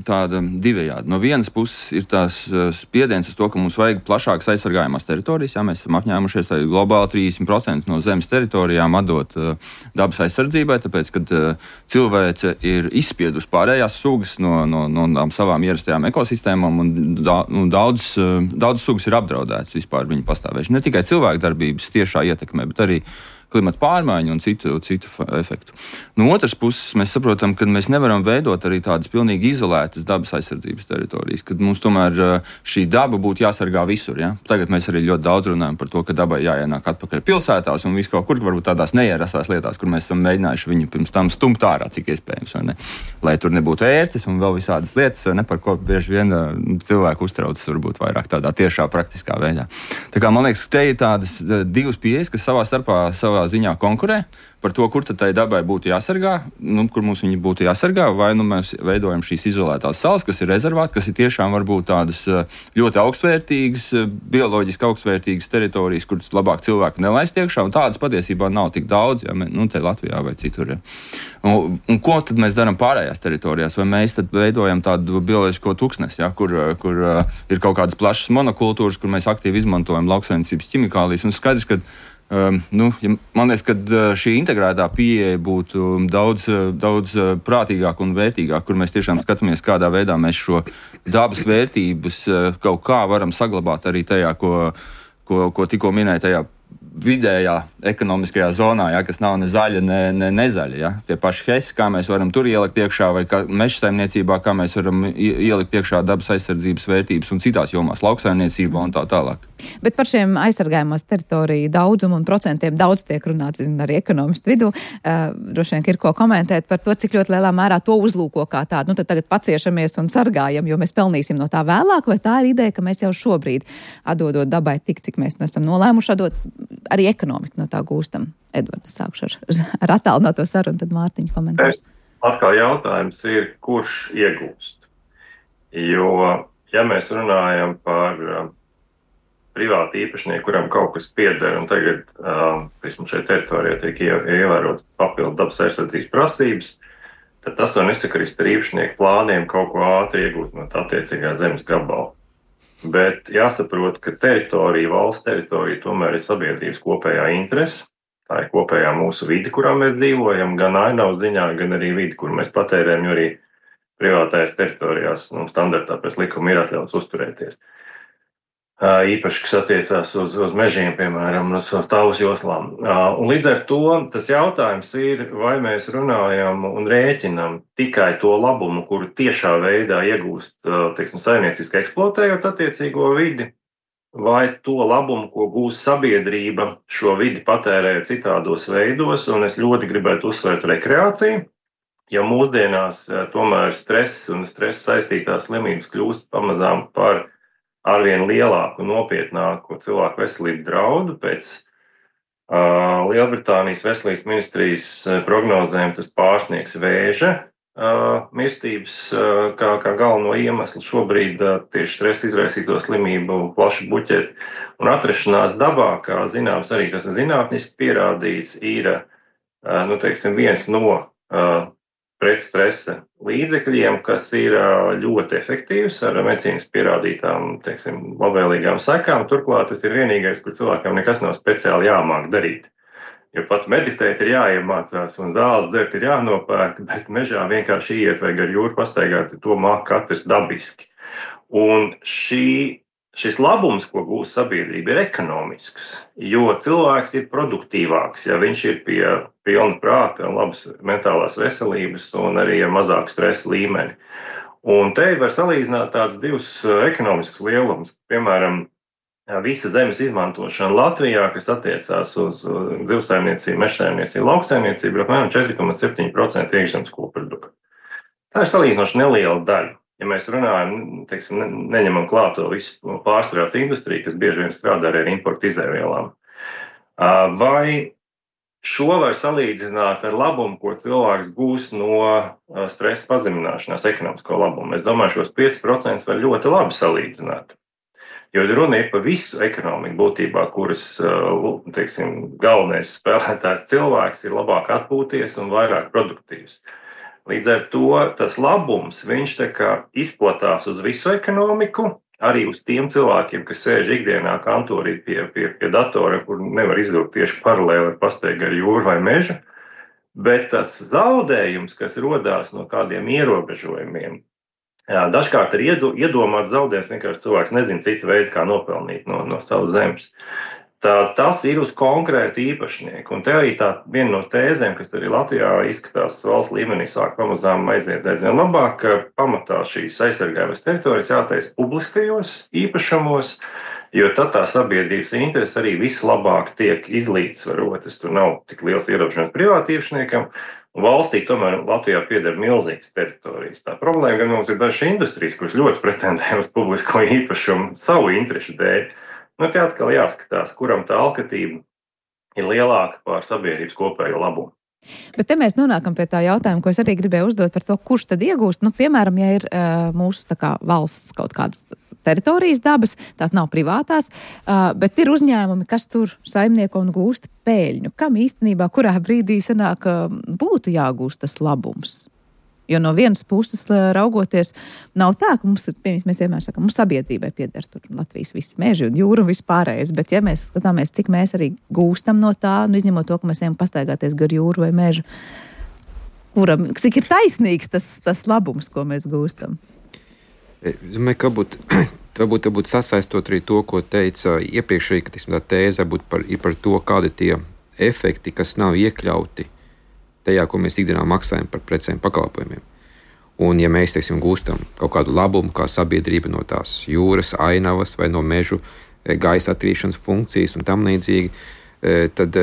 tāda divējāda. No vienas puses ir tās spiediens uz to, ka mums vajag plašākas aizsargājumās teritorijas. Jā, mēs esam apņēmušies globāli 30% no zemes teritorijām atdot dabas aizsardzībai, tāpēc, kad cilvēce ir izspiedus pārējās sugas no savām ierastajām ekosistēmām un daudz sugas ir apdraudētas vispār viņu pastāvēšanu. Ne tikai cilvēku darbības tiešā ietekmē, bet arī klimata pārmaiņu un citu efektu. No otras puses, mēs saprotam, ka mēs nevaram veidot arī tādas pilnīgi izolētas dabas aizsardzības teritorijas, kad mums tomēr šī daba būtu jāsargā visur. Ja? Tagad mēs arī ļoti daudz runājam par to, ka dabai jāienāk atpakaļ pilsētās un visu kaut kur, varbūt tādās neierastās lietās, kur mēs esam mēģinājuši viņu pirms tam stumt ārā, cik iespējams, vai ne? Lai tur nebūtu ērces un vēl visādas lietas, vai ne, par ko bieži vien cilvēku uztraucas varbūt vairāk tādā tiešā praktiskā veidā. Tā kā man liekas, te ir tādas divas pieejas, kas savā starpā savā ziņā konkurē par to, kur tad tai dabai būtu jāsargā, kur mums viņi būtu jāsargā, vai mēs veidojam šīs izolētās salas, kas ir rezervāti, kas ir tiešām varbūt tādas ļoti augstvērtīgas, bioloģiski augstvērtīgas teritorijas, kuras labāk cilvēku nelaist iekšā, un tādas patiesībā nav tik daudz, te Latvijā vai citur. Ja. Un ko tad mēs darām pārējās teritorijās? Vai mēs tad veidojam tādu bioloģisko tuksnesi, ja, kur ir kaut kādas plašas monokultūras, kur mēs aktīvi izmantojam lauksaimniecības ķimikālijas, un skaidrs, ka man liekas, ka šī integrētā pieeja būtu daudz prātīgāka un vērtīgāka, kur mēs tiešām skatāmies, kādā veidā mēs šo dabas vērtības kaut kā varam saglabāt arī tajā, ko tikko minēja, tajā vidējā ekonomiskajā zonā, ja, kas nav ne zaļa, ne nezaļa. Ja. Tie paši hesi, kā mēs varam tur ielikt iekšā, vai meža saimniecībā, kā mēs varam ielikt iekšā dabas aizsardzības vērtības un citās jomās, lauksaimniecībā un tā tālāk. Bet par šiem aizsargājumās teritoriju daudzumu un procentiem daudz tiek runāts, arī ekonomistu vidū. Droši vien ir ko komentēt par to, cik ļoti lielā mērā to uzlūko kā tādu. Tad tagad paciešamies un sargājam, jo mēs pelnīsim no tā vēlāk, vai tā ir ideja, ka mēs jau šobrīd atdodot dabai tik, cik mēs esam nolēmuši atdot, arī ekonomiku no tā gūstam. Edvards, sākšu ar attālināto sarunu, tad Mārtiņa komentārs. Atkal jautājums ir, kurš iegūst? Jo, ja mēs runājam par privāti īpašnieki, kuram kaut kas pieder, un tagad šeit teritorijā tiek ievērot papildu dabas aizsardzības prasības, tad tas var nesakrist ar īpašnieku plāniem kaut ko ātri iegūt no tā attiecīgā zemes gabala. Bet jāsaprot, ka teritorija, valsts teritorija tomēr ir sabiedrības kopējā interese. Tā ir kopējā mūsu vide, kurā mēs dzīvojam, gan ainavas ziņā, gan arī vide, kur mēs patērējam, jo arī privātajās teritorijās standartā pēc likuma ir atļauts uzturēties. Īpaši, kas attiecās uz mežiem, piemēram, uz stāvus joslām. Un līdz ar to tas jautājums ir, vai mēs runājam un rēķinam tikai to labumu, kuru tiešā veidā iegūst, saimnieciski eksploatējot attiecīgo vidi, vai to labumu, ko gūs sabiedrība šo vidi patērējot citādos veidos, un es ļoti gribētu uzsvērt rekreāciju, jo mūsdienās tomēr stress un stresa saistītās slimības kļūst pamazām par arvien lielāku un nopietnāku cilvēku veselību draudu. Pēc Lielbritānijas veselības ministrijas prognozēm tas pārsniegs vēža mirstības kā galveno iemeslu šobrīd tieši stresa izraisīto slimību plaši buķeti. Un atrašanās dabā, kā zināms, arī tas zinātniski pierādīts, ir viens no pretstresa līdzekļiem, kas ir ļoti efektīvs ar medicīniski pierādītām, labvēlīgām sekām. Turklāt tas ir vienīgais, kur cilvēkam nekas nav speciāli jāmāk darīt. Jo pat meditēt ir jāiemācās un zāles dzert ir jānopērk, bet mežā vienkārši iet vai gar jūru pastaigāt, to māk katrs dabiski. Un šis labums, ko gūs sabiedrība, ir ekonomisks, jo cilvēks ir produktīvāks, ja viņš ir pie pilna prāta, labas mentālās veselības un arī ar mazāku stresa līmeni. Un te var salīdzināt tāds divus ekonomiskus lielumus. Piemēram, visa zemes izmantošana Latvijā, kas attiecās uz zivsaimniecību, mežsaimniecību, lauksaimniecību, ir apmēram 4,7% iekšzemes koprodukta. Tā ir salīdzinoši neliela daļa. Ja mēs runājam, neņemam klāt to visu pārstrādes industriju, kas bieži vien strādā ar importu izēvielām. Vai šo var salīdzināt ar labumu, ko cilvēks gūs no stresa pazemināšanās, ekonomisko labumu? Es domāju, šos 5% var ļoti labi salīdzināt. Jo runa ir par visu ekonomiku būtībā, kuras, galvenais spēlētājs cilvēks ir labāk atpūties un vairāk produktīvs. Līdz ar to tas labums, viņš izplatās uz visu ekonomiku, arī uz tiem cilvēkiem, kas sēž ikdienā kantorī pie datora, kur nevar izvilkt tieši paralēli ar pastaigu ar jūru vai mežu, bet tas zaudējums, kas rodās no kādiem ierobežojumiem, dažkārt ir iedomāts zaudējums, vienkārši cilvēks nezina citu veidu, kā nopelnīt no savas zemes. Tas ir uz konkrētu īpašnieku. Un te arī viena no tēzēm, kas arī Latvijā izskatās valsts līmenī, sāk pamazām aiziet aizvien labāk, ka pamatā šīs aizsargājamas teritorijas jātaisa publiskajos īpašumos, jo tad tā sabiedrības interese arī vislabāk tiek izlīdzsvarotas. Tur nav tik liels ierobežojums privāti īpašniekam. Un valstī tomēr Latvijā pieder milzīgas teritorijas. Tā problēma gan mums ir dažas industrijas, kuras ļoti pretendē uz publisko īpašumu savu interešu dēļ. Te atkal jāskatās, kuram tā alkatība ir lielāka par sabiedrības kopējo labumu. Bet te mēs nonākam pie tā jautājuma, ko es arī gribēju uzdot par to, kurš tad iegūst. Nu, piemēram, ja ir mūsu tā kā valsts kaut kādas teritorijas dabas, tās nav privātās, bet ir uzņēmumi, kas tur saimnieko un gūst peļņu. Kam īstenībā, kurā brīdī sanāk, būtu jāgūst tas labums? Jo no vienas puses raugoties, nav tā, ka mums vienmēr sakam, mums sabiedrībai pieder tur Latvijas visi meži un jūra un vispārējais, bet ja mēs skatāmies, cik mēs arī gūstam no tā, nu izņemot to, ka mēs ejam pastaigāties gar jūru vai mežu, cik ir taisnīgs tas labums, ko mēs gūstam? Es domāju, ka varbūt sasaistot arī to, ko teica iepriekšēji, ka tā tēze ir par to, kādi tie efekti, kas nav iekļauti tajā, ko mēs ikdienā maksājam par precēm pakalpojumiem. Un ja mēs, gūstam kaut kādu labumu kā sabiedrība no tās jūras, ainavas vai no mežu gaisa attīrīšanas funkcijas un tam līdzīgi, tad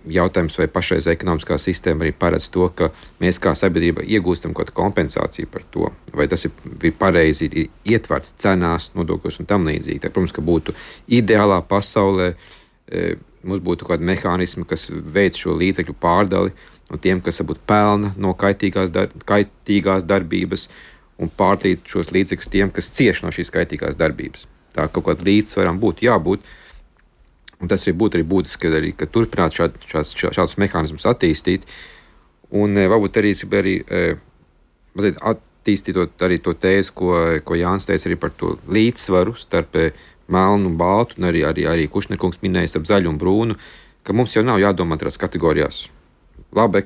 jautājums, vai pašreiz ekonomiskā sistēma arī paredz to, ka mēs kā sabiedrība iegūstam kaut kādu kompensāciju par to, vai tas ir pareizi ir ietverts cenās, nodokļos un tam līdzīgi. Tā, protams, ka būtu ideālā pasaulē, mums būtu kādi mehānismi, kas veic šo līdzekļu pārdali no tiem, kas varbūt pelna no kaitīgās darbības un pārdīt šos līdzekļus tiem, kas cieš no šīs kaitīgās darbības. Tā kaut kāda līdzsvaram būtu jābūt. Un tas arī būtu būtiski, ka turpināt šādus mehānismus attīstīt. Un varbūt arī mazliet attīstītot arī to tēzi, ko Jānis teica arī par to līdzsvaru starp melnu un baltu, un arī Kušnerkungs minējis ap zaļu un brūnu, ka mums jau nav jādomā tās kategorijās. Laba,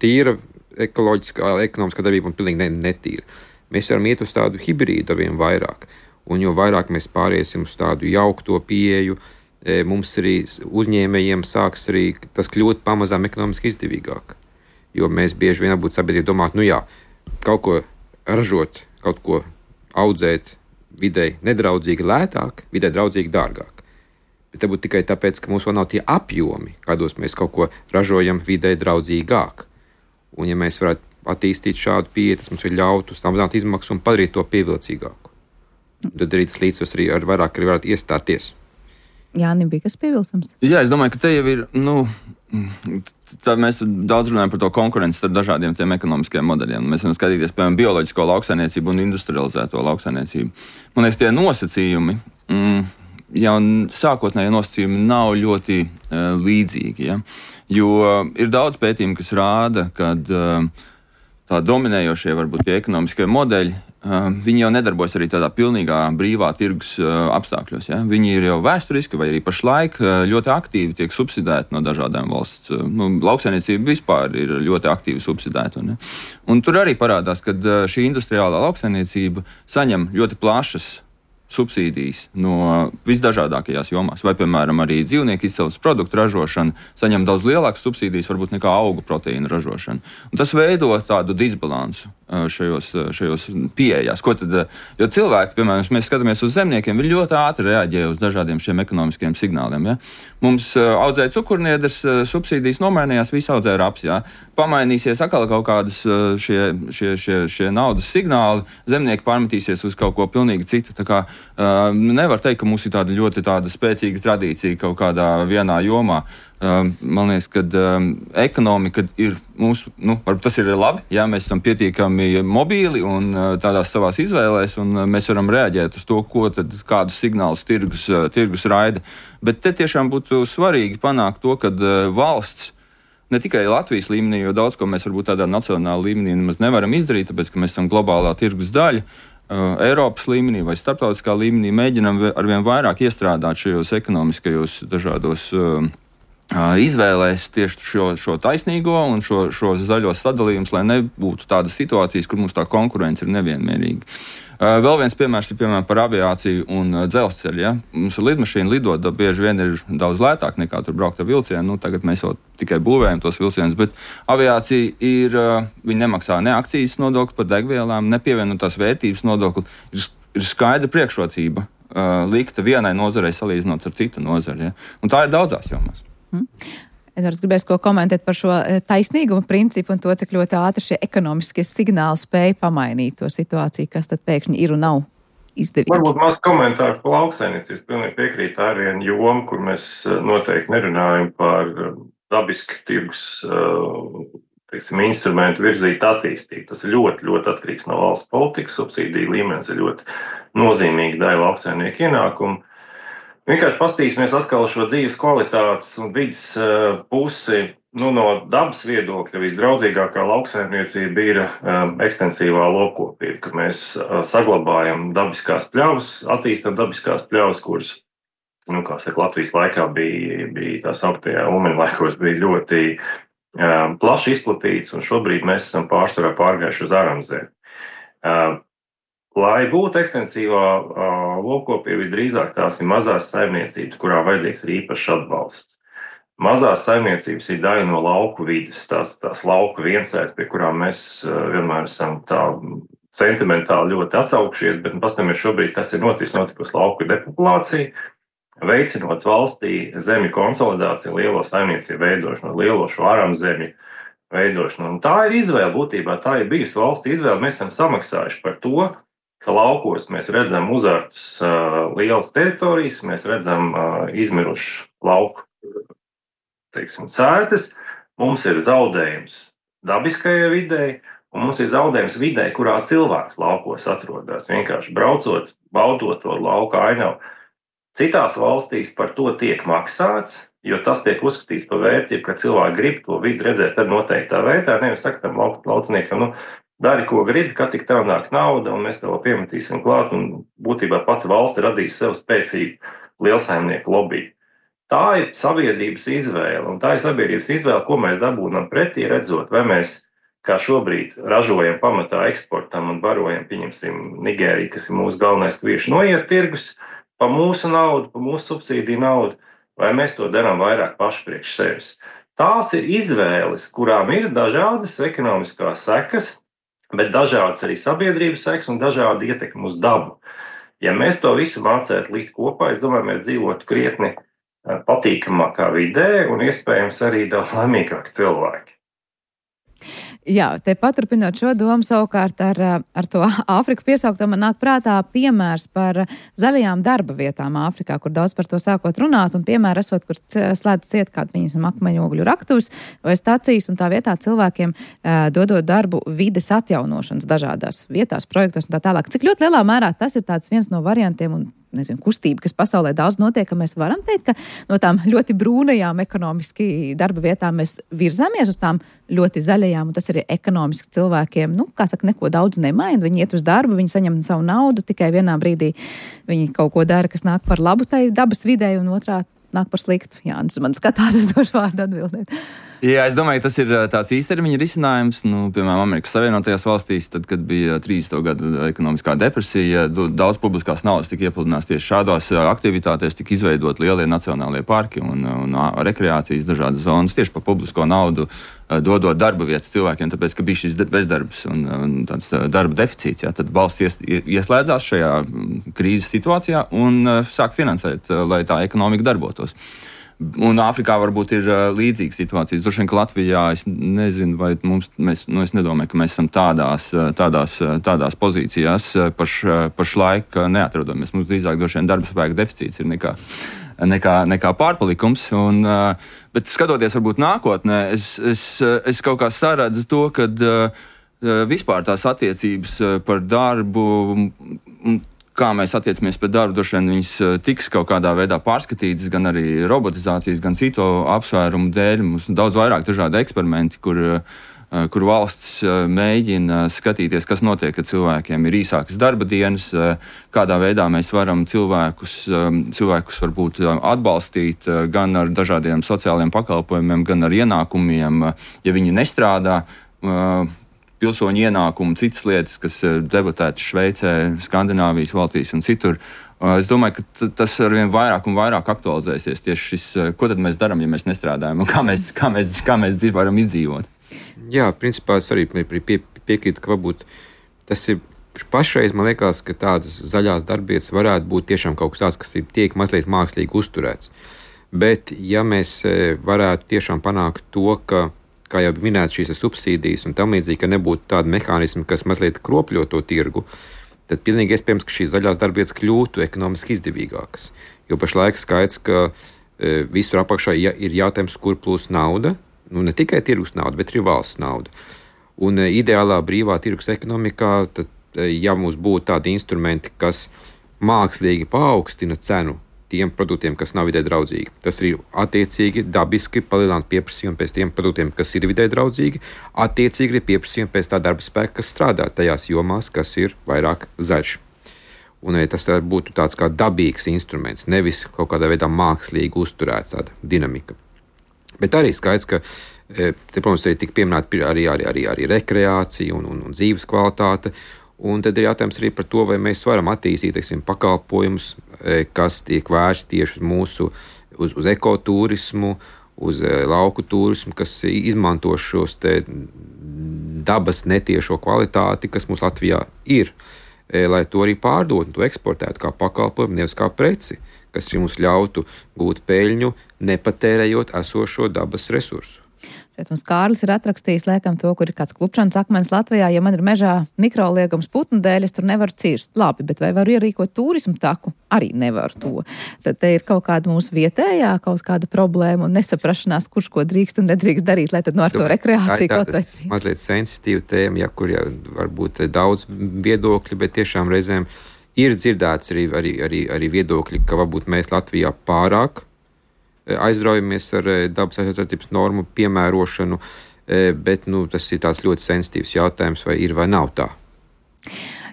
tīra ekoloģiskā, ekonomiskā darbība un pilnīgi netīra. Mēs varam iet uz tādu hibrīdu arvien vairāk, un jo vairāk mēs pāriesim uz tādu jaukto pieeju, mums arī uzņēmējiem sāks arī tas kļūt pamazām ekonomiski izdevīgāk. Jo mēs bieži vien būtu sabiedrība domāt, kaut ko ražot, kaut ko audzēt videi nedraudzīgi lētāk, videi draudzīgi dārgāk. Bet te būtu tikai tāpēc, ka mums vēl nav tie apjomi, kādos mēs kaut ko ražojam videi draudzīgāk. Un ja mēs varētu attīstīt šādu pieeju, tas mums ir ļautu samazināt izmaksas un padarīt to pievilcīgāku. Tad arī tas līdzsvars arī vairāk varētu iestāties. Jānim bija kas piebilstams? Jā, es domāju, ka te jau ir, mēs daudz runājam par to konkurenci starp dažādiem tiem ekonomiskajiem modeļiem. Mēs varam skatīties, piemēram, bioloģisko lauksaimniecību un industrializēto lauksaimniecību. Man liekas, tie nosacījumi, jau sākotnēji nosacījumi nav ļoti līdzīgi, ja? Jo ir daudz pētījumu, kas rāda, ka tā dominējošie varbūt tie ekonomiskie modeļi, viņi jau nedarbojas arī tādā pilnīgā brīvā tirgus apstākļos. Ja? Viņi ir jau vēsturiski vai arī pašlaik ļoti aktīvi tiek subsidēti no dažādām valsts. Lauksaimniecība vispār ir ļoti aktīvi subsidēta. Un tur arī parādās, ka šī industriālā lauksaimniecība saņem ļoti plašas subsīdijas no visdažādākajās jomās, vai, piemēram, arī dzīvnieku izcelsmes produktu ražošana saņem daudz lielākas subsīdijas, varbūt nekā augu proteīnu ražošana. Un tas veido tādu disbalansu šajos pieejās. Ko tad, jo cilvēki, piemēram, mēs skatāmies uz zemniekiem, viņi ļoti ātri reaģē uz dažādiem šiem ekonomiskiem signāliem. Ja? Mums audzēja cukurniedres, subsīdijas nomainījās, visi audzēja raps. Ja? Pamainīsies atkal kaut kādas šie naudas signāli, zemnieki pārmetīsies uz kaut ko pilnīgi citu. Tā kā nevar teikt, ka mums ir tāda spēcīga tradīcija kaut kādā vienā jomā. Man liekas, ka ekonomika ir mūsu, varbūt tas ir labi, ja mēs esam pietiekami mobīli un tādās savās izvēlēs, un mēs varam reaģēt uz to, kādus signālus tirgus raida. Bet te tiešām būtu svarīgi panākt to, ka valsts, ne tikai Latvijas līmenī, jo daudz ko mēs varbūt tādā nacionālā līmenī nemaz nevaram izdarīt, tāpēc, ka mēs esam globālā tirgus daļa, Eiropas līmenī vai starptautiskā līmenī mēģinam arvien vairāk iestrādāt šajos ekonomiskajos dažādos izvēlēs tieši šo taisnīgo un šo zaļo sadalījumus, lai nebūtu tādas situācijas, kur mums tā konkurence ir nevienmērīga. Vēl viens piemērs ir par aviāciju un dzelzceļu. Ja? Mums ir lidmašīna lidot, bieži vien ir daudz lētāk nekā tur braukt ar vilcienu. Tagad mēs vēl tikai būvējam tos vilcienus, bet aviācija viņi nemaksā ne akcijas nodokli par degvielām, ne pievienotās vērtības nodokli. Ir skaidra priekšrocība likta vienai nozarei salīdzinot ar citu nozari. Ja? Un tā ir daudzās jomās. Edvards gribēs ko komentēt par šo taisnīguma principu un to, cik ļoti ātri šie ekonomiskie signāli spēja pamainīt to situāciju, kas tad pēkšņi ir un nav izdevīgi. Varbūt maz komentāru par lauksaimniecību. Es pilnīgi piekrītu, tā ir viena joma, kur mēs noteikti nerunājam par dabisku tirgus instrumentu virzīt attīstību. Tas ir ļoti, ļoti atkarīgs no valsts politikas. Subsīdiju līmenis ir ļoti nozīmīga daļa lauksaimnieku ienākumu. Vienkārši paskatīsimies atkal šo dzīves kvalitātes un vidas pusi. No dabas viedokļa visdraudzīgākā lauksaimniecība ir ekstensīvā lopkopība, ka mēs saglabājam dabiskās pļavas, attīstam dabiskās pļavas, kuras, Latvijas laikā bija tās augtajā ūmeņa laikos, bija ļoti plaši izplatīts, un šobrīd mēs esam pārsvarā pārgājuši uz aramzemi. Lai būtu ekstensīvā lopkopība, visdrīzāk tās ir mazās saimniecības, kurām vajadzīgs ir īpašs atbalsts. Mazās saimniecības ir daļa no lauku vides, tās lauku viensētas, pie kurām mēs vienmēr esam tā sentimentāli ļoti atsaukšies, bet paskatāmies šobrīd, kas ir notikusi lauku depopulācija, veicinot valstī zemju konsolidāciju, lielo saimniecību veidošanu, lielo šo aramzemju veidošanu. Un tā ir izvēle būtībā, tā ir bijusi valsts izvēle. Mēs esam samaksājuši par to, ka laukos mēs redzam uzārtas lielas teritorijas, mēs redzam izmirušu lauku sētas, mums ir zaudējums dabiskajai videi, un mums ir zaudējums videi, kurā cilvēks laukos atrodas. Vienkārši braucot, baudot to lauka ainavu. Citās valstīs par to tiek maksāts, jo tas tiek uzskatīts par vērtību, ka cilvēki grib to vidi redzēt ar noteiktā veidā. Nevis saka tam lauciniekam, dari, ko gribi, ka tik tev nāk nauda, un mēs tev piemetīsim klāt, un būtībā pati valsts radīs sev spēcīgu lielsaimnieku lobby. Tā ir sabiedrības izvēle, un tā ir sabiedrības izvēle, ko mēs dabūnam pretī, redzot, vai mēs, kā šobrīd, ražojam pamatā eksportam un barojam, pieņemsim, Nigēriju, kas ir mūsu galvenais kviešu noiet tirgus, pa mūsu naudu, pa mūsu subsīdiju naudu, vai mēs to darām vairāk paši priekš sevis. Tās ir izvēles, kurām ir dažādas ekonomiskās sekas, bet dažādas arī sabiedrības sekas un dažādi ietekmi uz dabu. Ja mēs to visu mācētu likt kopā, es domāju, mēs dzīvotu krietni patīkamākā vidē un iespējams arī daudz laimīgāki cilvēki. Jā, te paturpinot šo domu savukārt ar to Āfriku piesaukto, man nāk prātā piemērs par zaļajām darba vietām Āfrikā, kur daudz par to sākot runāt, un piemēra esot, kur slēdz ciet kādu, piemēram, akmeņogļu raktuves vai stacijas, un tā vietā cilvēkiem dodot darbu vides atjaunošanas dažādās vietās, projektos un tā tālāk. Cik ļoti lielā mērā tas ir tāds viens no variantiem un kustība, kas pasaulē daudz notiek, ka mēs varam teikt, ka no tām ļoti brūnajām ekonomiski darba vietām mēs virzāmies uz tām ļoti zaļajām, un tas arī ekonomiski cilvēkiem, neko daudz nemaina. Viņi iet uz darbu, viņi saņem savu naudu, tikai vienā brīdī viņi kaut ko dara, kas nāk par labu tai dabas videi, un otrā nāk par sliktu. Jānis man skatās, es došu vārdu atbildēt. Jā, es domāju, ka tas ir tāds īstermiņa risinājums. Piemēram, Amerikas Savienotajās valstīs, tad, kad bija 30. gada ekonomiskā depresija, daudz publiskās naudas tika iepludināts tieši šādās aktivitātēs, tika izveidot lielie nacionālie parki un rekreācijas dažādas zonas tieši par publisko naudu, dodot darba vietas cilvēkiem, tāpēc, ka bija šis bezdarbs un tāds darba deficīts. Jā, tad valsts ieslēdzās šajā krīzes situācijā un sāk finansēt, lai tā ekonomika darbotos. Un Āfrikā varbūt ir līdzīga situācija. Droši vien, ka Latvijā es nezinu, vai es nedomāju, ka mēs esam tādās pozīcijās pašlaik neatrodamies. Mums drīzāk droši vien darba spēka deficīts ir nekā pārpalikums. Bet skatoties varbūt nākotnē, es kaut kā saredzu to, ka vispār tās attiecības par darbu, kā mēs attiecamies pret darbu, droši vien viņas tiks kaut kādā veidā pārskatītas, gan arī robotizācijas, gan citu apsvērumu dēļ. Mums ir daudz vairāk dažādi eksperimenti, kur valsts mēģina skatīties, kas notiek, kad cilvēkiem ir īsākas darba dienas, kādā veidā mēs varam cilvēkus varbūt atbalstīt gan ar dažādiem sociāliem pakalpojumiem, gan ar ienākumiem, ja viņi nestrādā. Pilsoņu ienākumu, citas lietas, kas debatētas Šveicē, Skandināvijas valstīs un citur. Es domāju, ka tas arvien vairāk un vairāk aktualizēsies tieši šis, ko tad mēs darām, ja mēs nestrādājam, un kā mēs varam izdzīvot. Jā, principā es arī piekrītu, ka varbūt tas ir pašreiz, man liekas, ka tādas zaļās darbietas varētu būt tiešām kaut kas tāds, kas tiek mazliet mākslīgi uzturēts. Bet, ja mēs varētu tiešām panākt to, ka kā jau minēts, šīs subsīdijas un tam līdzīgi, ka nebūtu tādi mehānismi, kas mazliet kropļo to tirgu, tad pilnīgi iespējams, ka šīs zaļās darbvietas kļūtu ekonomiski izdevīgākas. Jo pašlaik skaidrs, ka visur apakšā ir jautājums, kur plūs nauda, ne tikai tirgus nauda, bet arī valsts nauda. Un ideālā brīvā tirgus ekonomikā, tad, ja mums būtu tādi instrumenti, kas mākslīgi paaugstina cenu tiem produktiem, kas nav vidē draudzīgi. Tas ir attiecīgi dabiski palielināt pieprasījumu pēc tiem produktiem, kas ir vidē draudzīgi, attiecīgi ir pieprasījumu pēc tā darba spēka, kas strādā tajās jomās, kas ir vairāk zaļš. Un tas būtu tāds kā dabīgs instruments, nevis kaut kādā veidā mākslīgi uzturēts tāda dinamika. Bet arī skaidrs, ka te, protams, arī tik pieminēta arī rekreācija un dzīves kvalitāte. Un tad ir jautājums arī par to, vai mēs varam attīstīt, teiksim, pakalpojumus, kas tiek vērsti tieši uz ekoturismu, uz lauku turismu, kas izmanto šos te dabas netiešo kvalitāti, kas mums Latvijā ir, lai to arī pārdotu un to eksportētu kā pakalpojumu, nevis kā preci, kas arī mums ļautu gūt peļņu, nepatērējot esošo dabas resursu. Šeit mums Kārlis ir atrakstījis, liekam, to, kur ir kāds klupšanas akmens Latvijā. Ja man ir mežā mikroliegums putnu dēļ, es tur nevaru cirst. Labi, bet vai varu ierīkot turismu taku? Arī nevaru to. Tad te ir kaut kāda mūsu vietējā, kaut kāda problēma un nesaprašanās, kurš ko drīkst un nedrīkst darīt, lai tad ar to rekreāciju kaut vai. Mazliet sensitīva tēma, kur var būt daudz viedokļi, bet tiešām reizēm ir dzirdēts arī viedokļi, ka varbūt mēs Latvijā pārāk aizraujamies ar dabas aizsardzības normu piemērošanu, bet tas ir tāds ļoti sensitīvs jautājums, vai ir vai nav tā.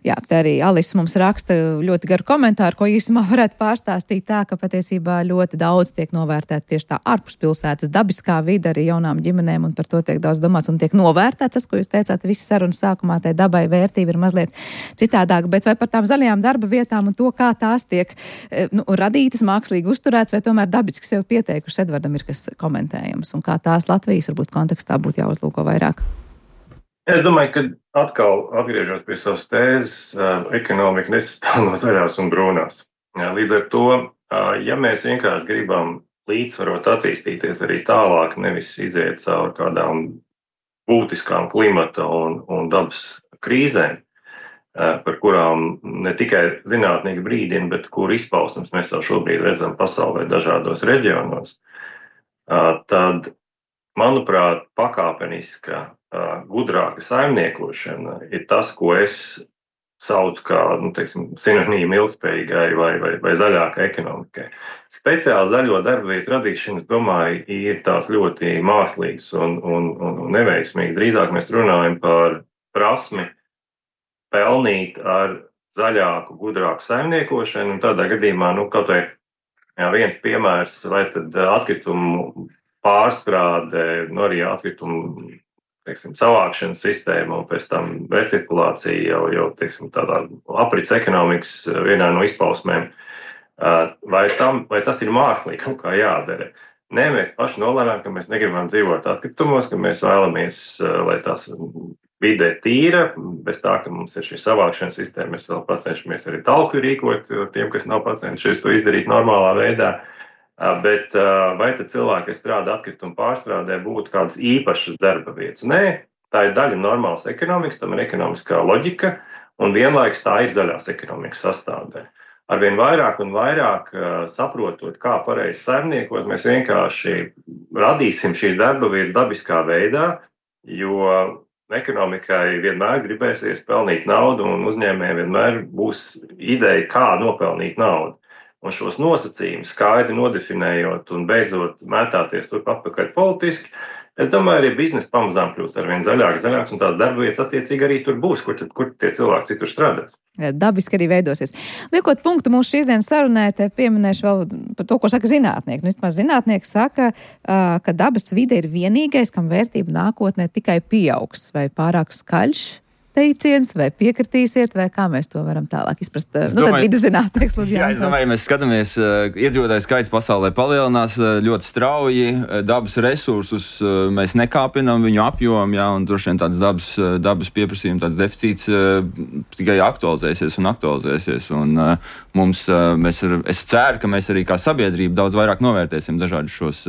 Jā, te arī Alisa mums raksta ļoti garu komentāru, ko īsumā varētu pārstāstīt tā, ka patiesībā ļoti daudz tiek novērtēta tieši tā ārpus pilsētas dabiskā vide arī jaunām ģimenēm, un par to tiek daudz domāts un tiek novērtēts. Tas, ko jūs teicāt, visas sarunas sākumā, tai dabai vērtība ir mazliet citādāka, bet vai par tām zaļajām darba vietām un to, kā tās tiek radītas, mākslīgi uzturēts, vai tomēr dabiski sev pieteikušas, Edvardam ir kas komentējams, un kā tās Latvijas varbūt kontekstā būtu jāuzlūko vairāk? Es domāju, ka atkal atgriežos pie savas tēzes, ekonomika nesastāv no zaļās un brūnās. Līdz ar to, ja mēs vienkārši gribam līdzsvarot attīstīties arī tālāk, nevis iziet cauri kādām būtiskām klimata un dabas krīzēm, par kurām ne tikai zinātnieki brīdina, bet kur izpausmes mēs jau šobrīd redzam pasaulē dažādos reģionos, tad, manuprāt, pakāpeniska gudrāka saimniekošana ir tas, ko es saucu kā, sinonīmu ilgspējīgai vai zaļākai ekonomikai. Speciāli zaļo darba vietu radīšana, es domāju, ir tās ļoti mākslīgas un neveiksmīgas. Drīzāk mēs runājam par prasmi pelnīt ar zaļāku, gudrāku saimniekošanu, un tādā gadījumā, kaut vai viens piemērs, vai tad atkritumu pārstrāde, arī atkritumu savākšanas sistēma un pēc tam recirkulācija jau tādā aprits ekonomikas vienā no izpausmēm. Vai tas ir mākslīgi kaut kā jādara? Nē, mēs paši nolēmām, ka mēs negribam dzīvot atkritumos, ka mēs vēlamies, lai tās vide tīra, bez tā, ka mums ir šī savākšanas sistēma. Mēs vēl pacenšamies arī talku rīkot tiem, kas nav pacenšies to izdarīt normālā veidā. Bet vai tad cilvēki, kas strādā atkritumu pārstrādē, būtu kādas īpašas darba vietas? Nē, tā ir daļa normālas ekonomikas, tam ir ekonomiskā loģika, un vienlaikus tā ir zaļās ekonomikas sastāvdaļa. Arvien vairāk un vairāk saprotot, kā pareizi saimniekot, mēs vienkārši radīsim šīs darba vietas dabiskā veidā, jo ekonomikai vienmēr gribēsies pelnīt naudu, un uzņēmējiem vienmēr būs ideja, kā nopelnīt naudu. Un šos nosacījumus skaidri nodefinējot un beidzot mētāties turp atpakaļ politiski, es domāju, arī biznesa pamazām kļūst arvien zaļāks, un tās darba vietas attiecīgi arī tur būs, kur tie cilvēki citur strādās. Dabiski arī veidosies. Liekot punktu mūsu šīs dienas sarunē, te pieminēšu vēl par to, ko saka zinātnieki. Vismaz zinātnieki saka, ka dabas vide ir vienīgais, kam vērtība nākotnē tikai pieaugs, vai pārāk skaļš teiciens, vai piekritīsiet, vai kā mēs to varam tālāk izprast. Tad vides zinātnieks, lūdzu, Jā, es domāju, mēs skatāmies, iedzīvotāju skaits pasaulē palielinās ļoti strauji, dabas resursus mēs nekāpinam viņu apjomu, un droši vien tāds dabas pieprasījums, tāds deficīts tikai aktualizēsies. Un es ceru, ka mēs arī kā sabiedrība daudz vairāk novērtēsim dažādus šos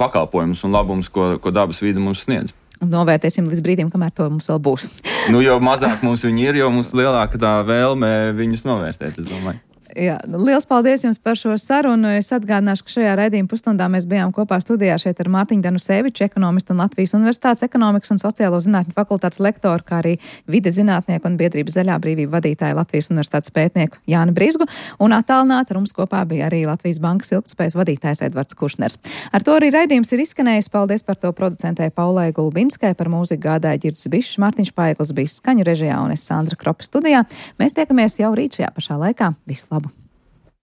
pakalpojumus un labumus, ko dabas vide mums sniedz. novērtēsim līdz brīdim, kamēr to mums vēl būs. Jo mazāk mums viņi ir, jo mums lielāka tā vēlme viņus novērtēt, es domāju. Jā, liels paldies jums par šo sarunu. Es atgādināšu, ka šajā raidījuma pusstundā mēs bijām kopā studijā šeit ar Mārtiņu Danuseviču, ekonomistu un Latvijas Universitātes ekonomikas un sociālo zinātņu fakultātes lektoru, kā arī vides zinātnieku un biedrības Zaļā brīvība vadītāju Latvijas Universitātes pētnieku Jāni Brizgu, un attālināti ar mums kopā bija arī Latvijas Bankas ilgtspējas vadītājs Edvards Kušners. Ar to arī raidījums ir izskanējis. Paldies par to producentē Paulai Gulbinskai, par mūziku gādāja Ģirds Bišs, Mārtiņš Paeglis bija skaņu režijā un es Sandra Kropa studijā. Mēs tiekamies jau rīt šajā pašā laikā. Vislabāk!